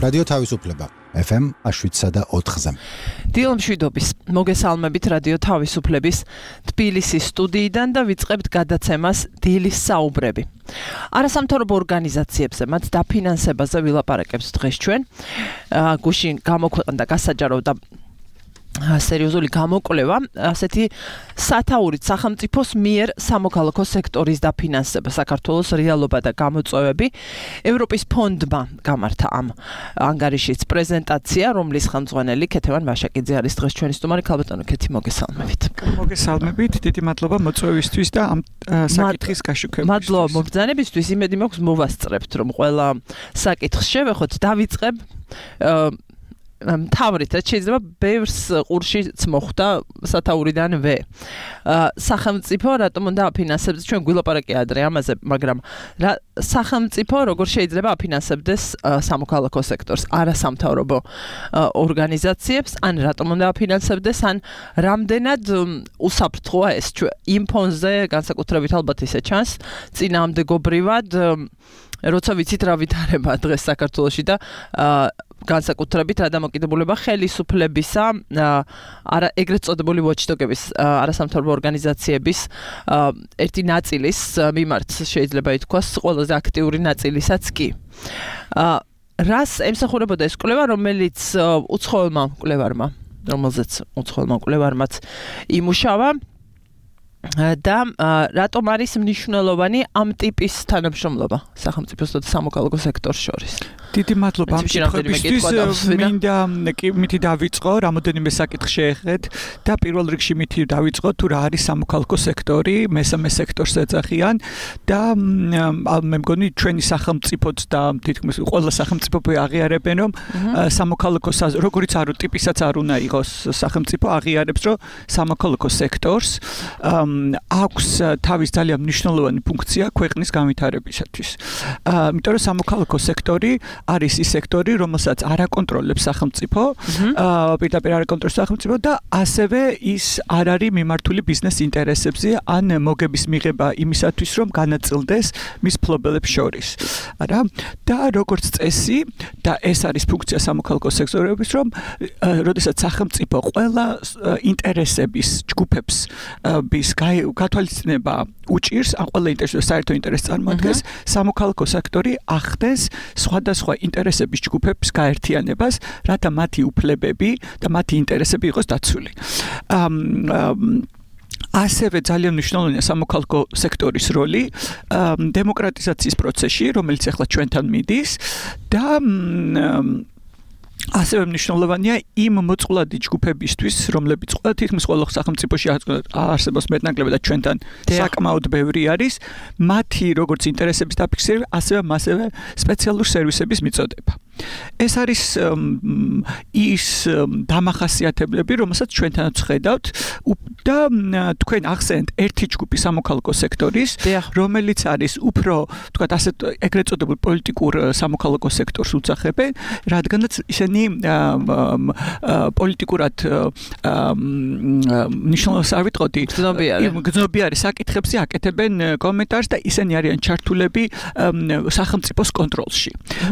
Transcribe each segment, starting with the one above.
რადიო თავისუფლება FM 7.4-ზე. დილმშვიდობის მოგესალმებით რადიო თავისუფლების თბილისის სტუდიიდან და ვიწყებთ გადაცემას დილის საუბრები. არასამთავრობო ორგანიზაციებზე მათ დაფინანსებაზე ვილაპარაკებს დღეს ჩვენ. გუშინ გამოქვეყნდა გასაჯარო და სერიოზული გამოკვლევა, ასეთი სათაურით სახელმწიფოს მიერ სამოქალაქო სექტორის დაფინანსება, საქართველოს რეალობა და გამოწვევები. ევროპის ფონდმა გამართა ამ ანგარიშის პრეზენტაცია, რომლის ხელმძღვანელი ქეთევან ვაშაკიძე არის დღეს ჩვენი სტუმარი. ქალბატონო ქეთი, მოგესალმებით. მოგესალმებით, დიდი მადლობა მოწვევისთვის და ამ საკითხის გაშუქებისთვის. მადლობა მობრძანებისთვის, იმედი მაქვს მოვასწრებთ, რომ ყველა საკითხს შევეხოთ, დავიწყებ თავრით, რაც შეიძლება ბევრს ყურშიც მოხვდა სათაურიდანვე. სახელმწიფო რატომ უნდა აფინანსებდეს, ჩვენ გვილაპარაკე ადრე ამაზე, მაგრამ სახელმწიფო როგორ შეიძლება აფინანსებდეს სამოქალაქო სექტორს, არასამთავრობო ორგანიზაციებს, ან რატომ უნდა აფინანსებდეს, ან რამდენად უსაფრთხოა ეს იმ ფონზე, განსაკუთრებით ალბათ ისე ჩანს, წინააღმდეგობრივად, როცა ვიცით რა ვითარება დღეს საქართველოში და განსაკუთრებით რა დამოკიდებულება ხელისუფლებისა, ეგრეთ წოდებული watchdog-ების, არასამთავრობო ორგანიზაციების ერთი ნაწილის მიმართ შეიძლება ითქვას, ყველაზე აქტიური ნაწილისაც კი. რას ემსახურებოდა ეს კვლევა, რომელზეც უცხოელმა მკვლევარმაც იმუშავა და რატომ არის მნიშვნელოვანი ამ ტიპის თანამშრომლობა სახელმწიფოსა და სამოქალაქო სექტორს შორის? დიდი მადლობა ამ კითხვებისთვის. მინდა მითი დავიწყო, რამოდენიმე საკითხი შეეხეთ და პირველ რიგში მითი დავიწყო თუ რა არის სამოქალაქო სექტორი, მესამე სექტორს ეძახიან და მე მგონი ჩვენი სახელმწიფოც და თითქმის ყველა სახელმწიფო აღიარებენ, რომ სამოქალაქო როგორიც არ ტიპისაც არ უნდა იყოს სახელმწიფო აღიარებს, რომ სამოქალაქო სექტორს აქვს თავის ძალიან მნიშვნელოვანი ფუნქცია ქვეყნის განვითარებისათვის. იმიტომ რომ სამოქალაქო სექტორი არის ის სექტორი, რომელსაც არ აკონტროლებს სახელმწიფო, პირდაპირ არ აკონტროლებს სახელმწიფო და ასევე ის არ არის მიმართული ბიზნეს ინტერესებზე ან მოგების მიღება იმისათვის, რომ განაწილდეს მის მფლობელებს შორის. არა? და როგორც წესი, და ეს არის ფუნქცია სამოქალაქო სექტორების, რომ როდესაც სახელმწიფო ყველა ინტერესების ჯგუფებს გათვალისწინება უჭირს, ან ყველა ინტერესს საერთო ინტერესს წარმოადგენს, სამოქალაქო სექტორი ახდენს სხვადასხვა ინტერესების ჯგუფების გაერთიანებას, რათა მათი უფლებები და მათი ინტერესები იყოს დაცული. ასევე ძალიან მნიშვნელოვანია სამოქალაქო სექტორის როლი დემოკრატიზაციის პროცესში, რომელიც ახლა ჩვენთან მიდის და ასევე მნიშვნელოვანია იმ მოწყვლადი ჯგუფებისთვის, რომლებიც თითქმის ყველა სახელმწიფოში არსებობს მეტნაკლებად და ჩვენთან საკმაოდ ბევრი არის, მათი როგორც ინტერესების დაფიქსირება, ასევე სპეციალური სერვისების მიწოდება. ეს არის ის დამახასიათებლები, რომელსაც ჩვენთანაც ხედავთ და თქვენ ახსენეთ ერთი ჯგუფი სამოქალაქო სექტორის, რომელიც არის უფრო, თქვათ, ასეთ ეგრეთ წოდებულ პოლიტიკურ სამოქალაქო სექტორს უძახებენ, რადგანაც ისინი პოლიტიკურად მნიშვნელობას არ ვიტყოდი, გრძნობიარე საკითხებზე აკეთებენ კომენტარს და ისინი არიან ჩართულები სახელმწიფოს კონტროლში.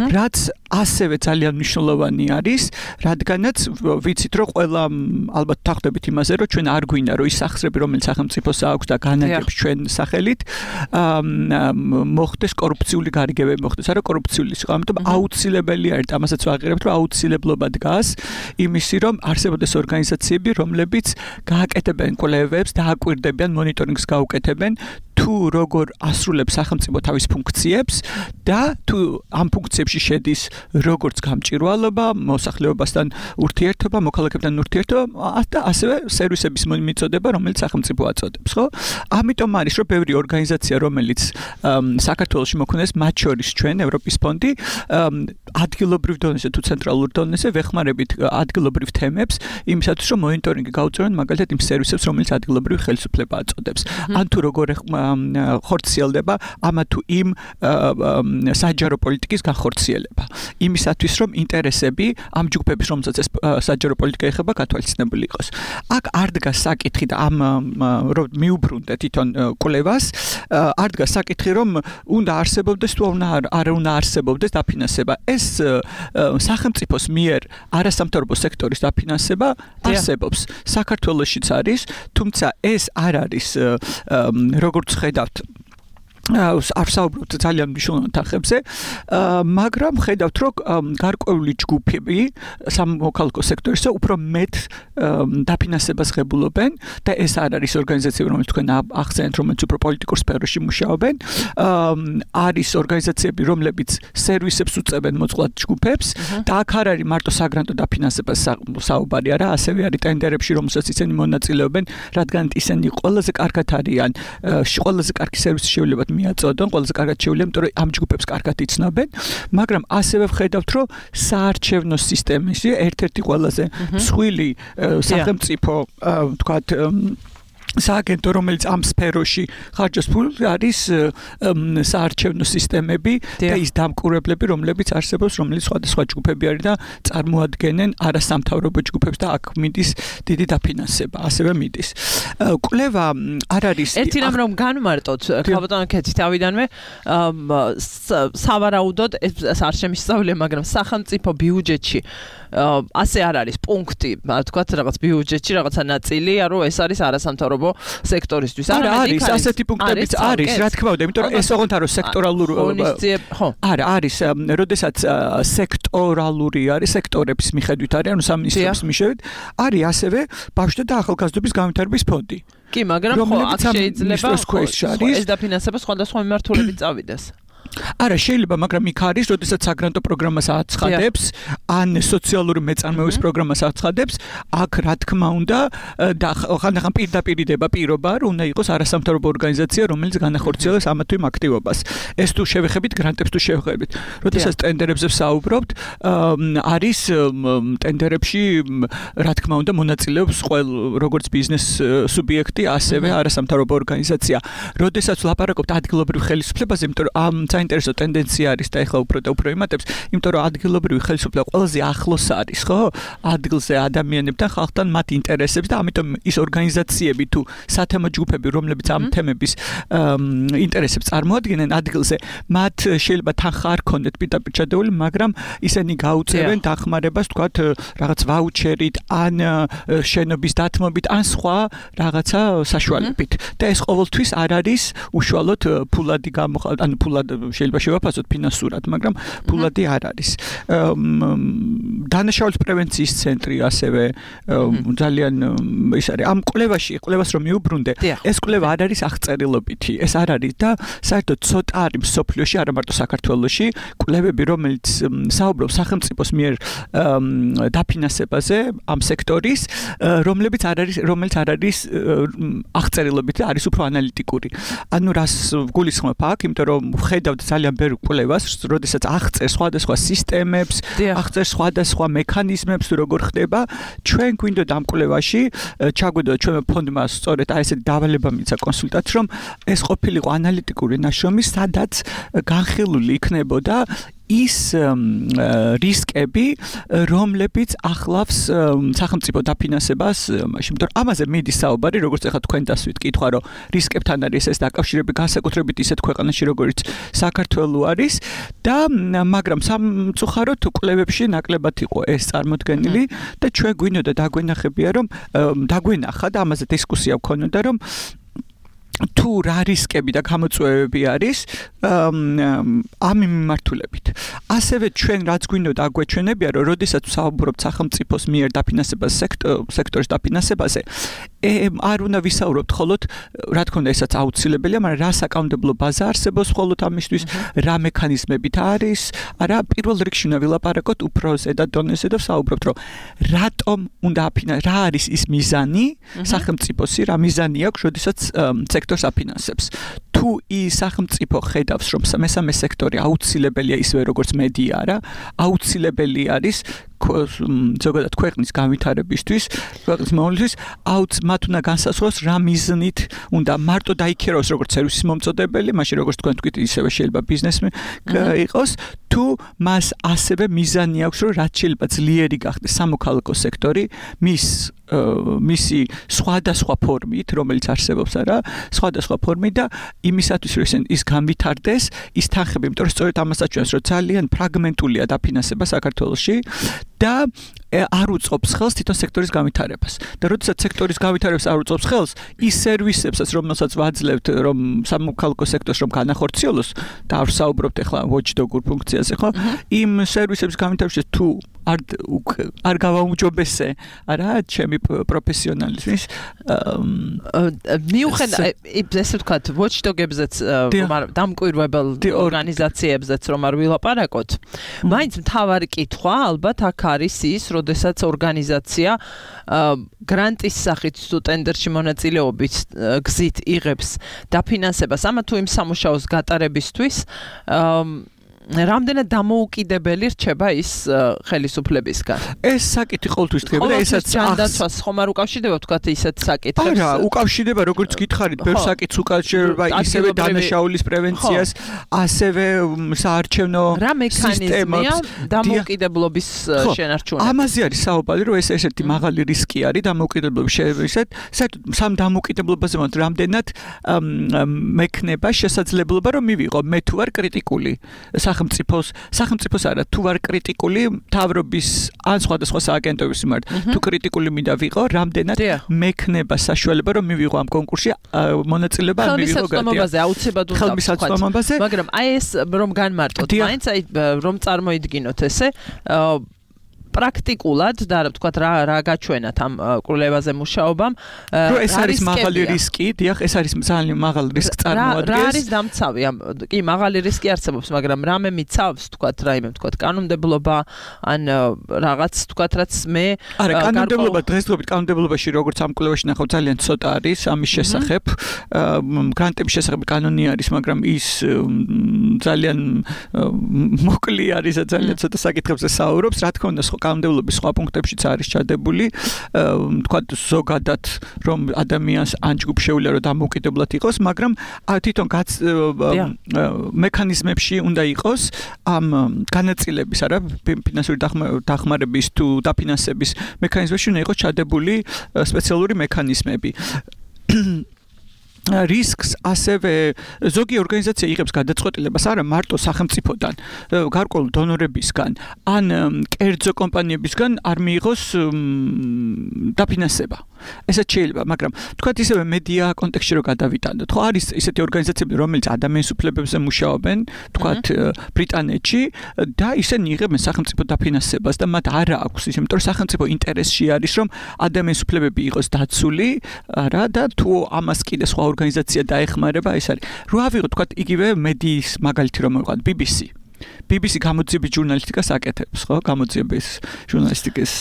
რაც ასევე ძალიან მნიშვნელოვანი არის, რადგანაც ვიცით, რომ ყველა ალბათ თანხმდებით იმაზე, რომ ჩვენ არ გვინდა, რომ ის სახსრები, რომელიც სახელმწიფოს აქვს და განაგებს ჩვენ სახელით, მოხდეს კორუფციული გარიგებები მოხდეს, არა კორუფციული სიყვა, ამიტომ აუცილებელი არის, ამასაც ვაღიარებთ, რომ აუცილებლობა დგას იმისი, რომ არსებობდეს ორგანიზაციები, რომლებიც გააკეთებენ კვლევებს და აკვირდებიან, მონიტორინგს გაუკეთებენ თუ როგორ ასრულებს სახელმწიფო თავის ფუნქციებს და თუ ამ ფუნქციებში შედის როგორც გამჭირვალობა, მოსახლეობასთან ურთიერთობა, მოქალაქეებთან ურთიერთობა და ასევე სერვისების მიწოდება, რომელიც სახელმწიფო აწოდებს, ხო? ამიტომ არის, რომ ბევრი ორგანიზაცია, რომელიც საქართველოში მოქმედებს, მათ შორის ჩვენ ევროპის ფონდი, ადგილობრივ დონეზე თუ ცენტრალურ დონეზე ვეხმარებით ადგილობრივ თემებს, იმისათვის, რომ მონიტორინგი გაუწევენ მაგალითად იმ სერვისებს, რომელიც ადგილობრივი ხელისუფლება აწოდებს. ან თუ როგორ ხორციელდება ამა თუ იმ საჯარო პოლიტიკის განხორციელება. იმისათვის რომ ინტერესები ამ ჯგუფების რომელსაც ეს საჯარო პოლიტიკა ეხება გათვალისწინებული იყოს. აქ არ დგას საკითხი და ამ რომ მიუბრუნდეთ თვითონ კვლევას, არ დგას საკითხი რომ უნდა არსებობდეს თუ არ უნდა არსებობდეს დაფინანსება. ეს სახელმწიფოს მიერ არასამთავრობო სექტორის დაფინანსება არსებობს. საქართველოშიც არის, თუმცა ეს არ არის როგორც ხედავთ არ საუბრობთ ძალიან მნიშვნელოვან თანხებზე, მაგრამ ხედავთ რომ გარკვეული ჯგუფები სამოქალაქო სექტორისა უფრო მეტ დაფინანსებას ღებულობენ და ეს არ არის ორგანიზაციები რომელიც თქვენ ახსენეთ რომელიც უფრო პოლიტიკურ სფეროში მუშაობენ, არის ორგანიზაციები რომლებიც სერვისებს უწევენ მოწყვლად ჯგუფებს და აქ არ არის მარტო საგრანტო დაფინანსებას საუბარი, არა, ასევე არის ტენდერებში რომელსაც ისინი მონაწილეობენ, რადგან ისინი ყველაზე კარგად არიან, ყველაზე კარგი სერვისი შეუძლებათ მიაწოდონ, ყველაზე კარგად შეუძლია, იმიტომ რომ ამ ჯგუფებს კარგად იცნობენ, მაგრამ ასევე ვხედავთ, რომ საარჩევნო სისტემაში ერთ-ერთი ყველაზე მსხვილი სახელმწიფო, ვთქვათ, სააგენტო, რომელიც ამ სფეროში ხარჯავს ფულს, არის საარჩევნო სისტემები და ის დამკვირვებლები, რომლებიც არსებობს, რომელიც სხვადასხვა ჯგუფები არის და წარმოადგენენ არასამთავრობო ჯგუფებს და აქ მიდის დიდი დაფინანსება, ასევე მიდის. კვლევა არ არის ერთი რამ რომ განმარტოთ, ქალბატონო ქეთი თავიდანვე სავარაუდოდ ეს არ შემისწავლია, მაგრამ სახელმწიფო ბიუჯეტში ასე არ არის პუნქტი, თქვათ რაღაც ბიუჯეტში რაღაცა ნაწილი, რომ ეს არის არასამთავრობო სექტორისთვის. არა, არის ასეთი პუნქტებიც არის, რა თქმა უნდა, იმიტომ რომ ეს ოღონდ არის სექტორალური არა, არის, როდესაც სექტორალური არის, სექტორების მიხედვით არის, ანუ სამინისტროს მიხედვით, არის ასევე ბავშვთა და ახალგაზრდობის განვითარების ფონდი. კი, მაგრამ ხო, აქ შეიძლება ეს დაფინანსება სხვადასხვა მიმართულებით წავიდეს. არა, შეიძლება, მაგრამ იქ არის, როდესაც საგრანტო პროგრამას აცხადებს, ან სოციალური მეწარმეობის პროგრამას აცხადებს, აქ რა თქმა უნდა და ხანდახან პირდაპირდება პირობა, რომ უნდა იყოს არასამთავრობო ორგანიზაცია, რომელიც განახორციელებს ამა თუ იმ აქტივობას. ეს თუ შევეხებით გრანტებს თუ შევეხებით. როდესაც ტენდერებზე ვსაუბრობთ, არის ტენდერებში, რა თქმა უნდა, მონაწილეობს როგორც ბიზნეს სუბიექტი, ასევე არასამთავრობო ორგანიზაცია. როდესაც ვლაპარაკობთ ადგილობრივ ხელისუფლებაზე, იმიტომ რომ ამ საინტერესო ტენდენცია არის და ეხლა უფრო და უფრო იმატებს, იმიტომ რომ ადგილობრივი ხელისუფლება ყველაზე ახლოს არის, ხო? ადგილზე ადამიანებთან, ხალხთან მათ ინტერესებს და ამიტომ ის ორგანიზაციები თუ სათემო ჯგუფები, რომლებიც ამ თემების ინტერესებს წარმოადგენენ ადგილზე, მათ შეიძლება თანხა არ ქონდეთ პირდაპირ ჩადებული, მაგრამ ისინი გაუწევენ დახმარებას, თქვათ, რაღაც ვაუჩერით, ან შენობის დათმობით, ან სხვა რაღაცა საშუალებით. და ეს ყოველთვის არ არის უშუალოდ ფულადი ანუ ფულად შეიძლება შევაფასოთ ფინანსურად, მაგრამ ფულადი არ არის. დანაშაულის პრევენციის ცენტრი ასევე ძალიან ის არის. ამ კვლევას რომ მიუბრუნდე, ეს კვლევა არ არის აღწერილობითი, ეს არ არის და საერთოდ ცოტა არის მსოფლიოში, არა მარტო საქართველოში, კვლევები, რომელიც საუბრობს სახელმწიფოს მიერ დაფინანსებაზე ამ სექტორის, რომელიც არ არის აღწერილობითი, არის უფრო ანალიტიკური. ანუ რას გულისხმობ აქ, იმიტომ რომ ხედავთ ძალიან ბევრ კვლევას, როდესაც აღწერს სხვადასხვა სისტემებს, აღწერს სხვადასხვა მექანიზმებს, როგორ ხდება, ჩვენ გვინდოდა ამ კვლევაში, ჩაგვიდოდა ჩვენმა ფონდმა სწორედ აი ესეთი დავალება მიცა კონსულტანტს, რომ ეს ყოფილიყო ანალიტიკური ნაშრომი, სადაც განხილული იქნებოდა ის რისკები, რომლებიც ახლავს სახელმწიფო დაფინანსებას, იმიტომ რომ ამაზე მიდის საუბარი, როგორც ახლა თქვენ დასვით კითხვა, რომ რისკებთან არის ეს დაკავშირები განსაკუთრებით ისეთ ქვეყანაში, როგორც საქართველო არის და მაგრამ სამწუხაროდ კვლევებში ნაკლებად იყო ეს წარმოდგენილი და ჩვენ გვინდოდა დაგვენახებია, რომ დაგვენახა და ამაზე დისკუსია გქონოდა, რომ თუ რა რისკები და გამოწვევები არის ამ მიმართულებით. ასევე ჩვენ რაც გვინდოდა აგვეჩვენებია, რომ როდესაც ვსაუბრობთ სახელმწიფოს მიერ დაფინანსებას სექტორის დაფინანსებაზე, არ უნდა ვისაუბროთ მხოლოდ, რა თქმა უნდა, ესაც აუცილებელია, მაგრამ რა საკანონმდებლო ბაზა არსებობს მხოლოდ ამისთვის, რა მექანიზმებით არის, არა, პირველ რიგში უნდა ვილაპარაკოთ უფრო ზედა დონეზე და ვსაუბრობთ, რომ რატომ უნდა რა არის ის მიზანი სახელმწიფოსი, რა მიზანი აქვს, როდესაც სექტორს აფინანსებს. თუ ის სახელმწიფო ხედავს, რომ მესამე სექტორი აუცილებელია ისევე როგორც მედია, რა, აუცილებელი არის ზოგადად ქვეყნის განვითარებისთვის, ქვეყნის მოვლენისთვის მათ უნდა განსაზღვროს რა მიზნით უნდა მარტო დაიქირავოს როგორც სერვისის მომწოდებელი, მაშინ როგორც თქვენ თქვით, ისევე შეიძლება ბიზნესი იყოს, თუ მას ასევე მიზანი აქვს, რომ რაც შეიძლება ძლიერი გახდეს სამოქალაქო სექტორი, მისი სხვადასხვა ფორმით, რომელიც არსებობს არა, სხვადასხვა ფორმით და იმისათვის, რომ ის განვითარდეს, ის თანხები, იმიტომ რომ სწორედ ამას აჩვენებს, რომ ძალიან ფრაგმენტულია დაფინანსება საქართველოში და არ უწყობს ხელს თვითონ სექტორის განვითარებას. და როდესაც სექტორის განვითარებას არ უწყობს ხელს, ის სერვისებსაც, რომელსაც ვაძლევთ, რომ სამოქალაქო სექტორს რომ განახორციელოს და არ ვსაუბრობთ ახლა watchdog-ურ ფუნქციაზე, ხო? იმ სერვისების განვითარებაში თუ არ გავაუმჯობესე, არა, ჩემი პროფესიონალიზმის მიუხედავად ესე ვთქვათ, watchdog-ებზეც დამკვირვებელ ორგანიზაციებზეც რომ არ ვილაპარაკოთ, მაინც მთავარი კითხვა ალბათ აქ არის ის, როდესაც ორგანიზაცია გრანტის სახით თუ ტენდერში მონაწილეობის გზით იღებს დაფინანსებას ამა თუ იმ სამუშაოს გატარებისთვის რამდენად დამოუკიდებელი რჩება ის ხელისუფლებისგან. ეს საკითხი ყოველთვის ხდება და ესაც ჯანდაცვას ხომ არ უკავშირდება ვთქვათ ისეთ საკითხებს? არა, უკავშირდება, როგორც გითხარით, ბევრ საკითხს უკავშირდება, ისევე დანაშაულის პრევენციას, ასევე საარჩევნო რა მექანიზმია დამოუკიდებლობის შენარჩუნება? ამაზე არის საუბარი, რომ ეს ერთ-ერთი მაღალი რისკი არის დამოუკიდებლობის შევისეთ, საერთოდ სამ დამოუკიდებლობაზე მომთ რამდენად მექნება შესაძლებლობა რომ მივიღო მე თუ ვარ კრიტიკული სახელმწიფოს არა თუ ვარ კრიტიკული მთავრობის ან სხვადასხვა სააგენტოების მიმართ თუ კრიტიკული მინდა ვიყო რამდენად მექნება საშუალება რომ მივიღო ამ კონკურსში მონაწილეობა ან მივიღო ხელმისაწვდომობაზე აუცილებლად ხელმისაწვდომობაზე მაგრამ აი ეს რომ განმარტოთ მაინც აი რომ წარმოიდგინოთ ესე პრაქტიკულად და ვთქვათ რა გაჩვენათ ამ კვლევაზე მუშაობამ რომ ეს არის მაღალი რისკი, დიახ, ეს არის ძალიან მაღალი რისკი წარმოადგენს. რა არის დამცავი? კი, მაღალი რისკი არსებობს, მაგრამ რამე მიცავს, ვთქვათ, კანონმდებლობა ან რაღაც, ვთქვათ, რაც მე არა, კანონმდებლობა დღესდღეობით კანონმდებლობაში როგორც ამ კვლევაში ნახავ ძალიან ცოტა არის ამის შესახებ. გრანტების შესახებ კანონი არის, მაგრამ ის ძალიან მოკლე არის და ძალიან ცოტა საკითხებზე საუბრობს. რა თქმა უნდა, კანონმდებლობის სხვა პუნქტებშიც არის ჩადებული, თქვათ ზოგადად რომ ადამიანს ან ჯგუფ შეუძლია რომ დამოუკიდებლად იყოს, მაგრამ თვითონ მექანიზმებში უნდა იყოს ამ განაწილების, არა, ფინანსური დახმარების თუ დაფინანსების მექანიზმებში უნდა იყოს ჩადებული სპეციალური მექანიზმები. რისკს ასევე ზოგი ორგანიზაცია იღებს გადაწყვეტილებას არა მარტო სახელმწიფოდან, გარკვეულ დონორებისგან, ან კერძო კომპანიებისგან არ მიიღოს დაფინანსება. ესეც შეიძლება, მაგრამ თქვათ ისევე მედია კონტექსტში რო გადავიტანოთ, ხო არის ისეთი ორგანიზაციები, რომელიც ადამიანის უფლებებზე მუშაობენ, თქვათ ბრიტანეთში და ისინი იღებენ სახელმწიფო დაფინანსებას და მათ არ აქვს ის, იმიტომ რომ სახელმწიფო ინტერესში არის, რომ ადამიანის უფლებები იყოს დაცული, არა და თუ ამას კიდე სხვა ორგანიზაცია დაეხმარება, ეს არის. რო ავიღოთ, თქვათ, იგივე მედიის მაგალითი რომ მოვიღოთ, BBC გამოძიების ჟურნალისტიკას აკეთებს, ხო? გამოძიების ჟურნალისტიკის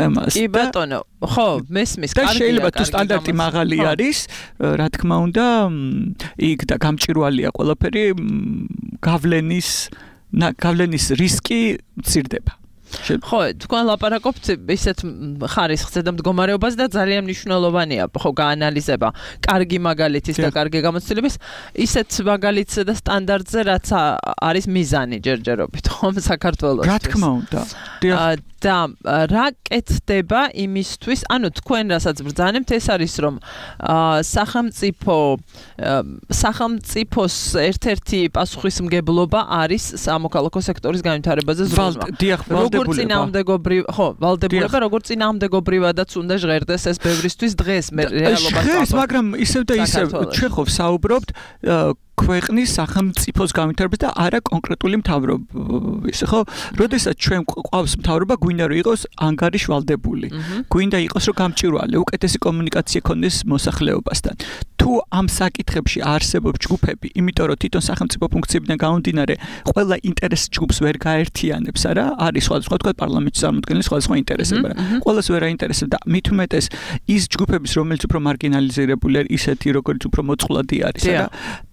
ემას. კი ბატონო, ხო, მესმის, კარგია. და შეიძლება თუ სტანდარტი მაღალი არის, რა თქმა უნდა, იქ და გამჭირვალეა ყველაფერი, გავლენის რისკი მცირდება. ხო, თქვენ ლაპარაკობთ ისეთ ხარისხზე და მდგომარეობაზე და ძალიან მნიშვნელოვანია, ხო, გაანალიზება კარგი მაგალითის და კარგი გამოცდილების ისეთ მაგალითზე და სტანდარტზე, რაც არის მიზანი ჯერჯერობით, ხომ, საქართველოში. რა თქმა უნდა. და რა კეთდება იმისთვის, ანუ თქვენ რასაც ბრძანებთ, ეს არის რომ სახელმწიფოს ერთ-ერთი პასუხისმგებლობა არის სამოქალაქო სექტორის განვითარებაზე ზრუნვა. როგორც წინააღმდეგობრივადაც უნდა ჟღერდეს ეს ბევრისთვის დღეს მე რეალობას მაგრამ ისევ და ისევ ჩვენ საუბრობთ ქვეყნის სახელმწიფოს განვითარებას და არა კონკრეტული მთავრობის, ხო? როდესაც ჩვენ ყავს მთავრობა, გვინდა რომ იყოს ანგარიშვალდებული. გვინდა იყოს რომ გამჭირვალე, უკეთესი კომუნიკაცია ქონდეს მოსახლეობასთან. თუ თუ ამ საკითხებში არსებობს ჯგუფები, იმიტომ რომ თვითონ სახელმწიფო ფუნქციებიდან გამომდინარე, ყველა ინტერეს ჯგუფს ვერ გაერთიანებს, არა? არის სხვადასხვა თქვა პარლამენტის წარმომადგენელი სხვადასხვა ინტერესები, რა. ყველას ვერ აინტერესებს და მით უმეტეს ის ჯგუფების, რომელიც უფრო მარგინალიზირებული არის, ისეთი როგორც უფრო მოწყვლადი არის, არა?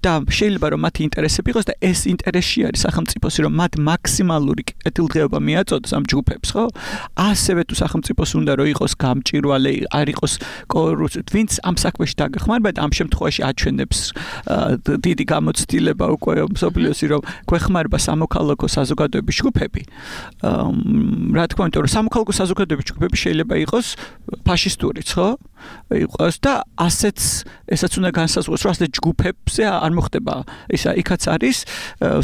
და შეიძლება რომ მათი ინტერესები იყოს და ეს ინტერესი არის სახელმწიფოს, რომ მათ მაქსიმალური კეთილდღეობა მიაწოდოს ამ ჯგუფებს, ხო? ასევე თუ სახელმწიფოს უნდა რომ იყოს გამჭირვალე, არ იყოს ვინც ამ საქმეში დაგეხმარება და ამ შემთხვევაში აჩვენებს დიდი გამოცდილება უკვე მსოფლიოსი რომ გვეხმარება სამოქალაქო საზოგადოების ჯგუფები. რა თქმა უნდა, რომ სამოქალაქო საზოგადოების ჯგუფები შეიძლება იყოს ფაშისტურიც, ხო? იყოს და ასეც ესაც უნდა განსაზღვროს, რომ ასეთ ჯგუფებზე არ მოხდება ისა, იქაც არის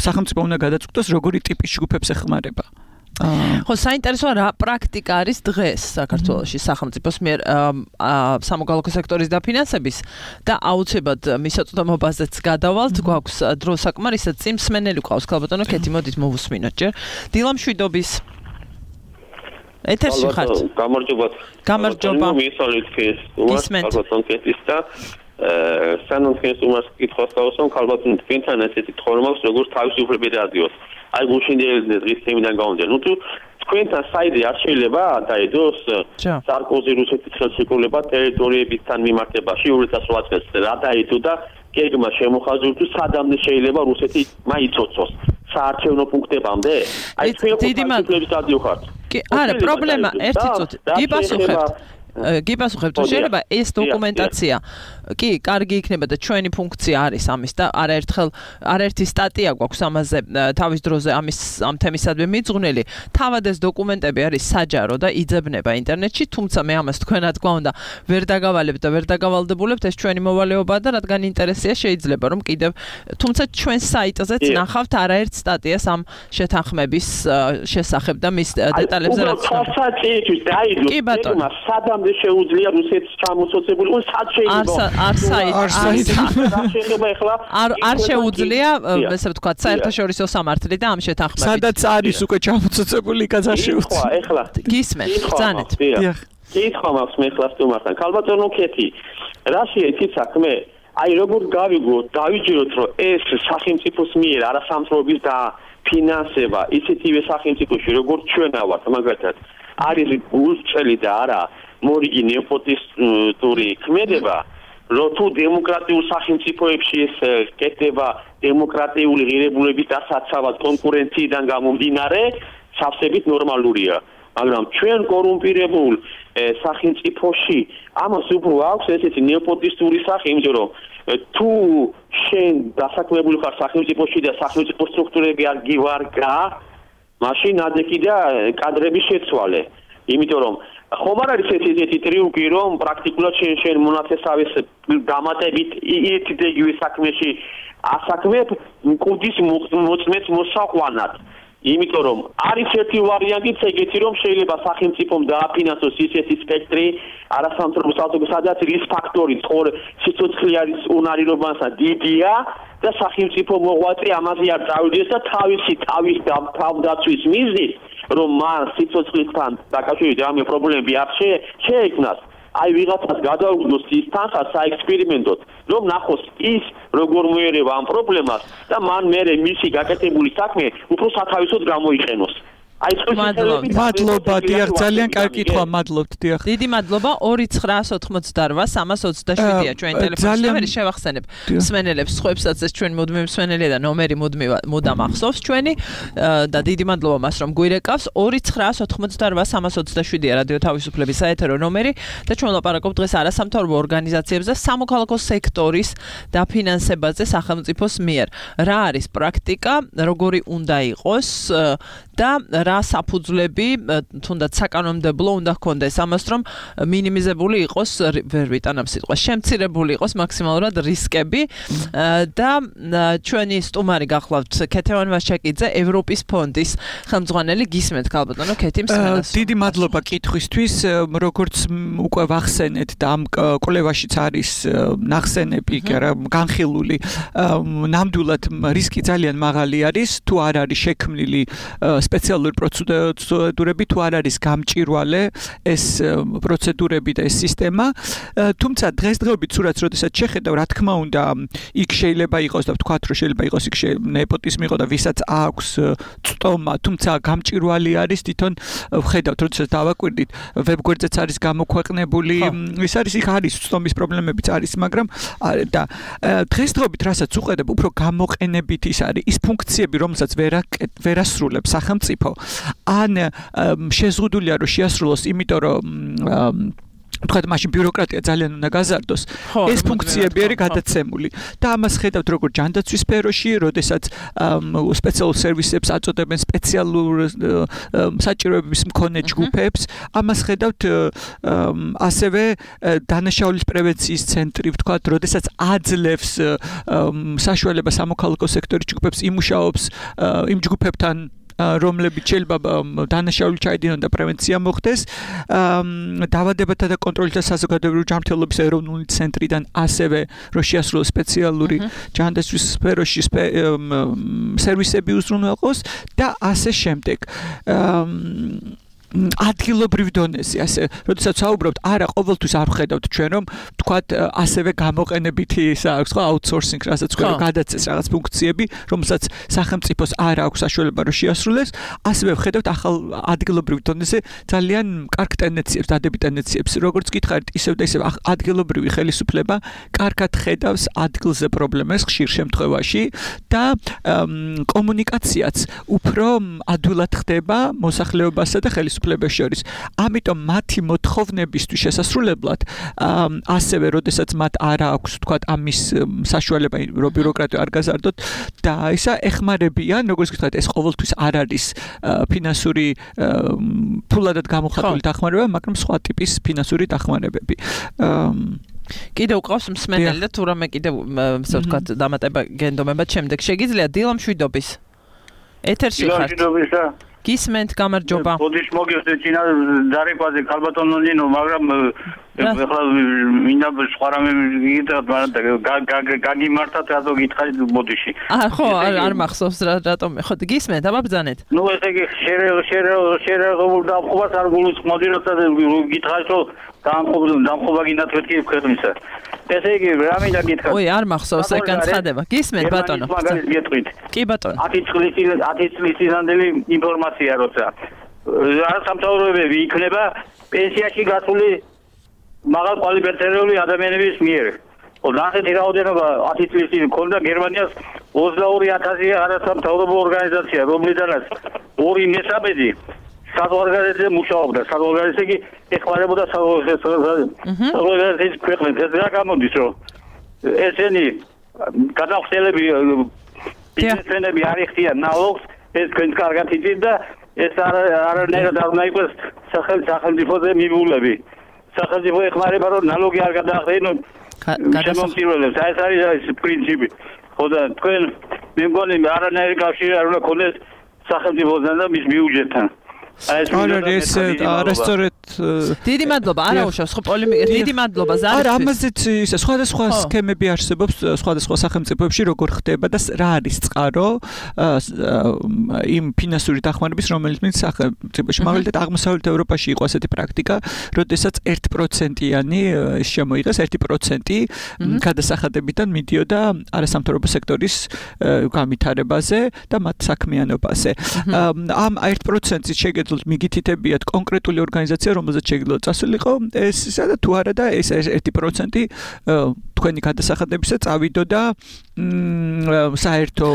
სახელმწიფო უნდა გადაწყვეტოს როგორი ტიპის ჯგუფებს ეხმარება. ხო, საინტერესოა რა პრაქტიკა არის დღეს საქართველოში სახელმწიფოს მიერ სამოქალაქო სექტორის დაფინანსების და აუცილებლად მისაწვდომობაზეც გადავალთ, გვაქვს დრო საკმარისად წინ მსმენელი ყავს, ქალბატონო კეთი, მოდით მოვუსმინოთ ჯერ. დილა მშვიდობის ეთერში ხართ. გამარჯობა. მისალით ქეს, ქალბატონ კეთის და სანამ ქეს უმას კითხავს დავსვამ ქალბატონ თქვენთან ესეთი თქმა აქვს როგორც თავისუფლები რადიოს. აი გუშინდელი დღის თემიდან გამომდინარე. ნუ თუ თქვენთან საიდე არ შეიძლება დაედოს სარკოზი რუსეთის ხელშეკრულება ტერიტორიებთან მიმართებაში 2008 წელს რა დაედო და გეგმა შემოხაზურდა თუ სადამდე შეიძლება რუსეთი მაიცოცოს საარჩევნო პუნქტებამდე? აი თქვენ ხელშეკრულების დადიოხართ. არა, პრობლემა ერთი წუთი. გიპასუხებთ, თუ შეიძლება ეს დოკუმენტაცია კი, კარგი იქნება და ჩვენი ფუნქცია არის ამის და არაერთი სტატია გვაქვს ამაზე თავის დროზე ამ თემისადმი მიძღვნილი. თავად ეს დოკუმენტები არის საჯარო და იძებნება ინტერნეტში, თუმცა მე ამას თქვენად გვაუნდა ვერ დაგავალებთ და ვერ დაგავალდებულებთ, ეს ჩვენი მოვალეობაა და რადგან ინტერესია შეიძლება რომ კიდევ თუმცა ჩვენ საიტზეც ნახავთ არაერთ სტატიას ამ შეთანხმების შესახებ და მის დეტალებზე რაც კი ბატონო სადამდე შეუძლია რუსეთს ჩამოსოცებული ու სად შეიძლება არ შეუძლია, ესე ვთქვათ, საერთაშორისო სამართლი და ამ შეთანხმებით. სადაც არის უკვე ჩამოცოცებული, იქაც არ შეუძლია. ეხლა გისმენთ, ბრძანეთ. კითხვა მაქვს მე ხლა სტუმართან. ქალბატონო კეთი, რა შეიძლება საქმე? აი როგორ გავიგოთ, დავიჯეროთ, რომ ეს სახელმწიფოს მიერ არასამთავრობის და ფინანსება ისეთივე სახელმწიფოში, როგორც ჩვენ ავართ, მაგალითად, არის გულწრფელი და არა მორიგი ნეოპოტისტური ქმედება. რომ თუ დემოკრატიულ სახელმწიფოებში ეს კეთდება დემოკრატიული ღირებულების დასაცავად კონკურენციიდან გამომდინარე, სავსებით ნორმალურია. მაგრამ ჩვენ კორუმპირებულ სახელმწიფოში ამას უფრო აქვს ესეთი ნეოპოტისტური სახე, იმიტომ რომ თუ შენ დასაქმებული ხარ სახელმწიფოში და სახელმწიფო სტრუქტურები არ გივარგა, მაშინ ადეკი და კადრების შეცვალე. იმიტომ რომ ხომ არ არის ესეთი ტრიუკი, რომ პრაქტიკულად შენ მონაცესავეს დამატებით იდეიგივე საქმეში ასაქმებ მკვდის მოწმეც მოსაყვანად. იმიტომ რომ არის ერთი ვარიანტიც ეგეთი, რომ შეიძლება სახელმწიფომ დააფინანსოს ისეთი სპექტრი არასამთავრობო საზოგადოება, სადაც რის ფაქტორი სიცოცხლე არის უნარირობასა დიდია და სახელმწიფო მოღვაწე ამაზე არ წავიდეს და თავის თავდაცვის მიზნით რომ მან სიცოცხლესთან დაკავშირებით რამე პრობლემები არ შეექმნას, აი ვიღაცას გადაუგდოს ის თანხა საექსპერიმენტოდ, რომ ნახოს ის როგორ მოერევა ამ პრობლემას და მან მერე მისი გაკეთებული საქმე უფრო სათავისოდ გამოიყენოს. აი მადლობა, დიახ, ძალიან კარგი კითხვა, მადლობთ, დიახ. დიდი მადლობა. 2988-327-ია ჩვენი ტელეფონი. მე შევახსენებ მსმენელებს, სხვებსაც ეს ჩვენი მუდმივი მსმენელია და ნომერი მუდამ ახსოვს ჩვენი და დიდი მადლობა მას რომ გვირეკავს. 2988-327-ია რადიო თავისუფლების საეთერო ნომერი და ჩვენ ვლაპარაკობთ დღეს არასამთავრობო ორგანიზაციებზე სამოქალაქო სექტორის დაფინანსებაზე სახელმწიფოს მიერ. რა არის პრაქტიკა, როგორი უნდა იყოს და რა საფუძვლები თუნდაც საკანონმდებლო უნდა ჰქონდეს ამას რომ მინიმიზებული იყოს ვერ ვიტანამ სიტყვა შემცირებული იყოს მაქსიმალურად რისკები და ჩვენი სტუმარი გახლავთ ქეთევან ვაშაკიძე ევროპის ფონდის ხელმძღვანელი გისმენთ ქალბატონო ქეთი მსმენელს დიდი მადლობა კითხვისთვის როგორც უკვე ვახსენეთ და ამ კვლევაშიც არის ნახსენები განხილული ნამდვილად რისკი ძალიან მაღალი არის თუ არ არის შექმნილი სპეციალური პროცედურები თუ არ არის გამჭირვალე ეს პროცედურები და ეს სისტემა, თუმცა დღესდღეობით სურათს როდესაც შეხედავ, რა თქმა უნდა, იქ შეიძლება იყოს და ვთქვათ, რომ შეიძლება იყოს იქ ნეპოტიზმი იყო და ვისაც აქვს წტომა, თუმცა გამჭირვალი არის თვითონ ვხედავთ, როდესაც დავაკვირდით, ვებგვერდზეც არის გამოქვეყნებული, ის არის იქ არის წტომის პრობლემებიც არის, მაგრამ და დღესდღეობით რასაც უყედებ, უფრო გამოყენებით ის არის ის ფუნქციები, რომელსაც ვერასრულებს სახელმწიფო, ან შეზღუდულია რომ შეასრულოს, იმიტომ რომ თქვათ მაშინ ბიუროკრატია ძალიან უნდა გაზარდოს. ეს ფუნქციები არის გადაცემული და ამას ხედავთ როგორც ჯანდაცვის სფეროში, როდესაც სპეციალურ სერვისებს აწოდებენ სპეციალურ საჭიროებების მქონე ჯგუფებს, ამას ხედავთ ასევე დანაშაულის პრევენციის ცენტრი, ვთქვათ, როდესაც აძლევს საშუალებას სამოქალაქო სექტორის ჯგუფებს იმუშაობს იმ ჯგუფებთან რომლებიც შეიძლება დანაშაული ჩაიდინონ და პრევენცია მოხდეს, დაავადებათა და კონტროლის და საზოგადოებრივი ჯანმრთელობის ეროვნული ცენტრიდან ასევე რო შეასრულოს სპეციალური ჯანდაცვის სფეროში სერვისები უზრუნველყოს და ასე შემდეგ. ადგილობრივ დონეზე, ასე, როდესაც საუბრობთ, არა, ყოველთვის არ ვხედავთ ჩვენ, რომ თქვათ, ასევე გამოყენებითი ისა აქვს, ხო, აუთსორსინგ, რასაც თქვენ რომ გადაწეს რაღაც ფუნქციები, რომელსაც სახელმწიფოს არ აქვს საშუალება რომ შეასრულოს, ასევე ვხედავთ ახალ ადგილობრივ დონეზე ძალიან კარგ ტენდენციებს, დადებით ტენდენციებს, როგორც გითხარით, ისევ და ისევ ადგილობრივი ხელისუფლება კარგად ხედავს ადგილზე პრობლემას ხშირ შემთხვევაში და კომუნიკაციაც უფრო ადვილად ხდება მოსახლეობასა და ხელისუფლებას შორის. ამიტომ მათი მოთხოვნებისთვის შესასრულებლად ასევე როდესაც მათ არ აქვს თქვათ ამის საშუალება რომ ბიუროკრატია არ გაზარდოთ და ისა ეხმარებიან, როგორც გითხარით, ეს ყოველთვის არ არის ფინანსური ფულადად გამოხატული დახმარება, მაგრამ სხვა ტიპის ფინანსური დახმარებები. კიდევ ყავს მსმენელი და თუ რამე კიდევ ასე ვთქვათ დამატება გენდომება შემდეგ შეგიძლია დილა მშვიდობის ეთერში ხართ გისმენთ გამარჯობა. ბოდიშ მოგიხდეთ წინა დარიქვაზე ქალბატონო ნინო, მაგრამ ეხლა მინდა სხვა რამე გიგიტოთ, მაგრამ გაგიმართათ რატო გითხარით ბოდიში. ხო, არ მახსოვს რატომ. ხო, გისმენთ, აბაბძანეთ. ნუ ესე იგი შერეღებულ დამხობას არ გულისხმოდი, როცა გითხარით, რომ დამხობა გინდათ მეთქი ქვეყნისა. ესე იგი, რა მინდა გითხრათ? ой, არ მახსოვს ეგ განცხადება. გისმენთ ბატონო. კი ბატონო. 10 წლის წინანდელი ინფორმაცია როცა სამთავროებები იქნება პენსიაში გასული მაღალ კვალიფიცირებული ადამიანების მიერ. ასეთი რაოდენობა 10 წლის წინ ქონდა გერმანიას 22,000 არასამთავრობო ორგანიზაცია, რომლიდანაც 2/3 საზღვარგარეთზე მუშაობდა. საზღვარგარეთი ეხმარებოდა საზღვარგარეთის ქვეყნებს. ეს რა გამოდის, რომ ესენი გადახდელები ბიზნესმენები არ იხდიან ნალოგს, ეს თქვენ კარგად იცით და ეს არანაირად არ უნდა იყოს სახელმწიფოზე მიბულები. სახელმწიფო ეხმარება რომ ნალოგი არ გადაახდენონ შემომწირველებს. ეს არის პრინციპი. ხო და თქვენ მე მგონი არანაირი კავშირი არ უნდა ქონდეს სახელმწიფოსთან და მის ბიუჯეტთან. არასწორად დიდი მადლობა, არა უშავს, ხო პოლემიკა, დიდი მადლობა ზარისთვის. არა, ამაზეც ისე სხვადასხვა სქემები არსებობს სხვადასხვა სახელმწიფოებში, როგორ ხდება და რა არის წყარო იმ ფინანსური დახმარების, რომელიც მის სახელმწიფოში, მაგალითად აღმოსავლეთ ევროპაში იყო ასეთი პრაქტიკა, როდესაც 1%-იანი შემოიღეს 1% გადასახადებიდან მიდიოდა არასამთავრობო სექტორის განვითარებაზე და მათ საქმიანობაზე. ამ 1%-ით შეგეძლოთ მიგითითებიათ კონკრეტული ორგანიზაცია, რომელზეც შეგიძლიათ წასულიყო, ეს და თუ არა და ეს 1% თქვენი გადასახადებისა წავიდოდა საერთო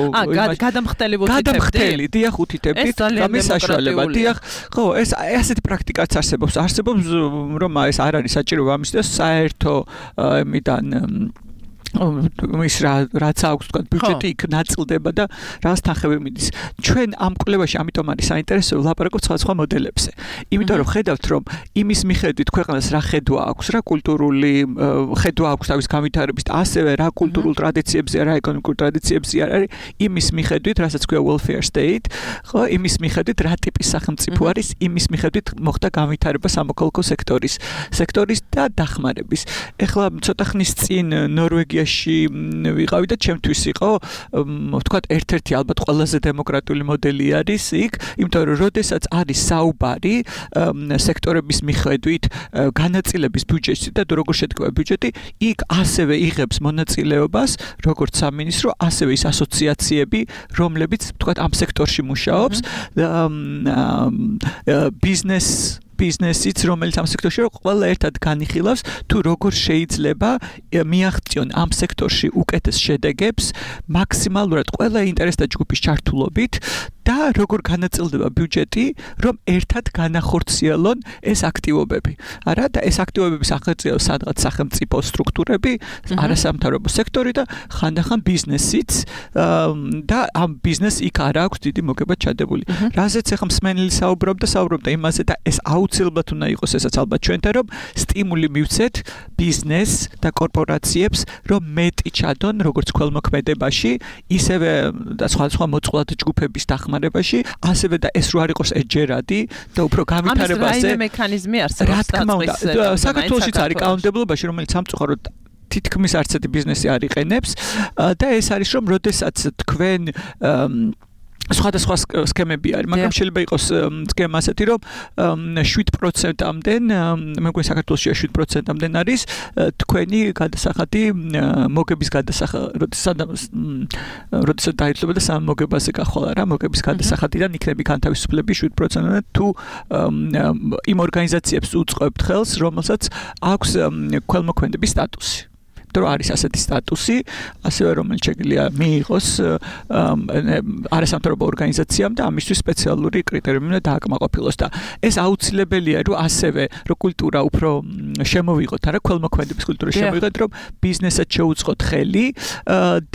გადამხდელი, დიახ, უთითებდით და მის საშუალება, დიახ, ხო, ეს ასეთი პრაქტიკაც არსებობს, რომ ეს არ არის საჭირო ამის და საერთო მიდან ის რაც აქვს თქვა ბიუჯეტი იქ ნაწილდება და რაღაც თანხები მიდის. ჩვენ ამ კვლევაში ამიტომ არის საინტერესო ვლაპარაკობთ სხვადასხვა მოდელებზე. იმიტომ რომ ხედავთ რომ იმის მიხედვით ქვეყანას რა ხედვა აქვს, რა კულტურული ხედვა აქვს თავის განვითარების და ასევე რა კულტურულ ტრადიციებზე, რა ეკონომიკურ ტრადიციებზე არის, იმის მიხედვით, რასაც ქვია welfare state, ხო, იმის მიხედვით რა ტიპის სახელმწიფო არის, იმის მიხედვით მოხდა განვითარება სამოქალაქო სექტორის და დახმარების. ეხლა ცოტა ხნის წინ ნორვეგია იდეოლოგიაში ვიყავი და ჩემთვის იყო ვთქვათ ერთ-ერთი ალბათ ყველაზე დემოკრატიული მოდელი არის იქ, იმიტომ რომ როდესაც არის საუბარი სექტორების მიხედვით განაწილების ბიუჯეტში და როგორ შედგება ბიუჯეტი, იქ ასევე იღებს მონაწილეობას როგორც სამინისტრო, ასევე ის ასოციაციები, რომლებიც ვთქვათ ამ სექტორში მუშაობს, ბიზნესიც, რომელიც ამ სექტორში ყველა ერთად განიხილავს, თუ როგორ შეიძლება მიაღწიონ ამ სექტორში უკეთეს შედეგებს, მაქსიმალურად ყველა ინტერესთა ჯგუფის ჩართულობით და როგორ განაწილდება ბიუჯეტი, რომ ერთად განახორციელონ ეს აქტივობები. არა, და ეს აქტივობები სახელმწიფო სადღაც სახელმწიფო სტრუქტურები, არასამთავრობო სექტორი და ხანდახან ბიზნესიც და ამ ბიზნეს იქ არ აქვს დიდი მოგება ჩადებული. რაზეც ახლა მსმენელი საუბრობდა იმაზე და ეს აუცილებლად უნდა იყოს ესაც ალბათ ჩვენთან, რომ სტიმული მივცეთ ბიზნეს და კორპორაციებს, რომ მეტი ჩადონ როგორც ქველმოქმედებაში, ისევე და სხვა მოწყვლად ჯგუფების დახმარებაში, ასევე და ეს რო არ იყოს ეჯერადი და უფრო განვითარებაზე. ამის რაიმე მექანიზმი არსებობს? რა თქმა უნდა, საქართველოშიც არის კანონმდებლობაში, რომელიც სამწუხაროდ თითქმის არც ერთი ბიზნესი არ იყენებს და ეს არის რომ როდესაც თქვენ სხვადასხვა სქემები არის, მაგრამ შეიძლება იყოს სქემა ასეთი, რომ 7%-ამდე, მე მგონი საქართველოში 7%-ამდე არის თქვენი გადასახადი მოგების როდესაც დაიცლება და სამ მოგებაზე გახვალა რა, მოგების გადასახადიდან იქნება განთავისუფლები 7%-ამდე თუ იმ ორგანიზაციებს უწყობთ ხელს, რომელსაც აქვს ქველმოქმედების სტატუსი. რომ არის ასეთი სტატუსი, ასევე რომელიც შეგვიძლია მიიღოს არასამთავრობო ორგანიზაციამ და ამისთვის სპეციალური კრიტერიუმი უნდა დააკმაყოფილოს და ეს აუცილებელია, რომ ასევე რომ კულტურა უფრო შემოვიღოთ, არა ქველმოქმედების კულტურა შემოვიღოთ, რომ ბიზნესად შეუწყოთ ხელი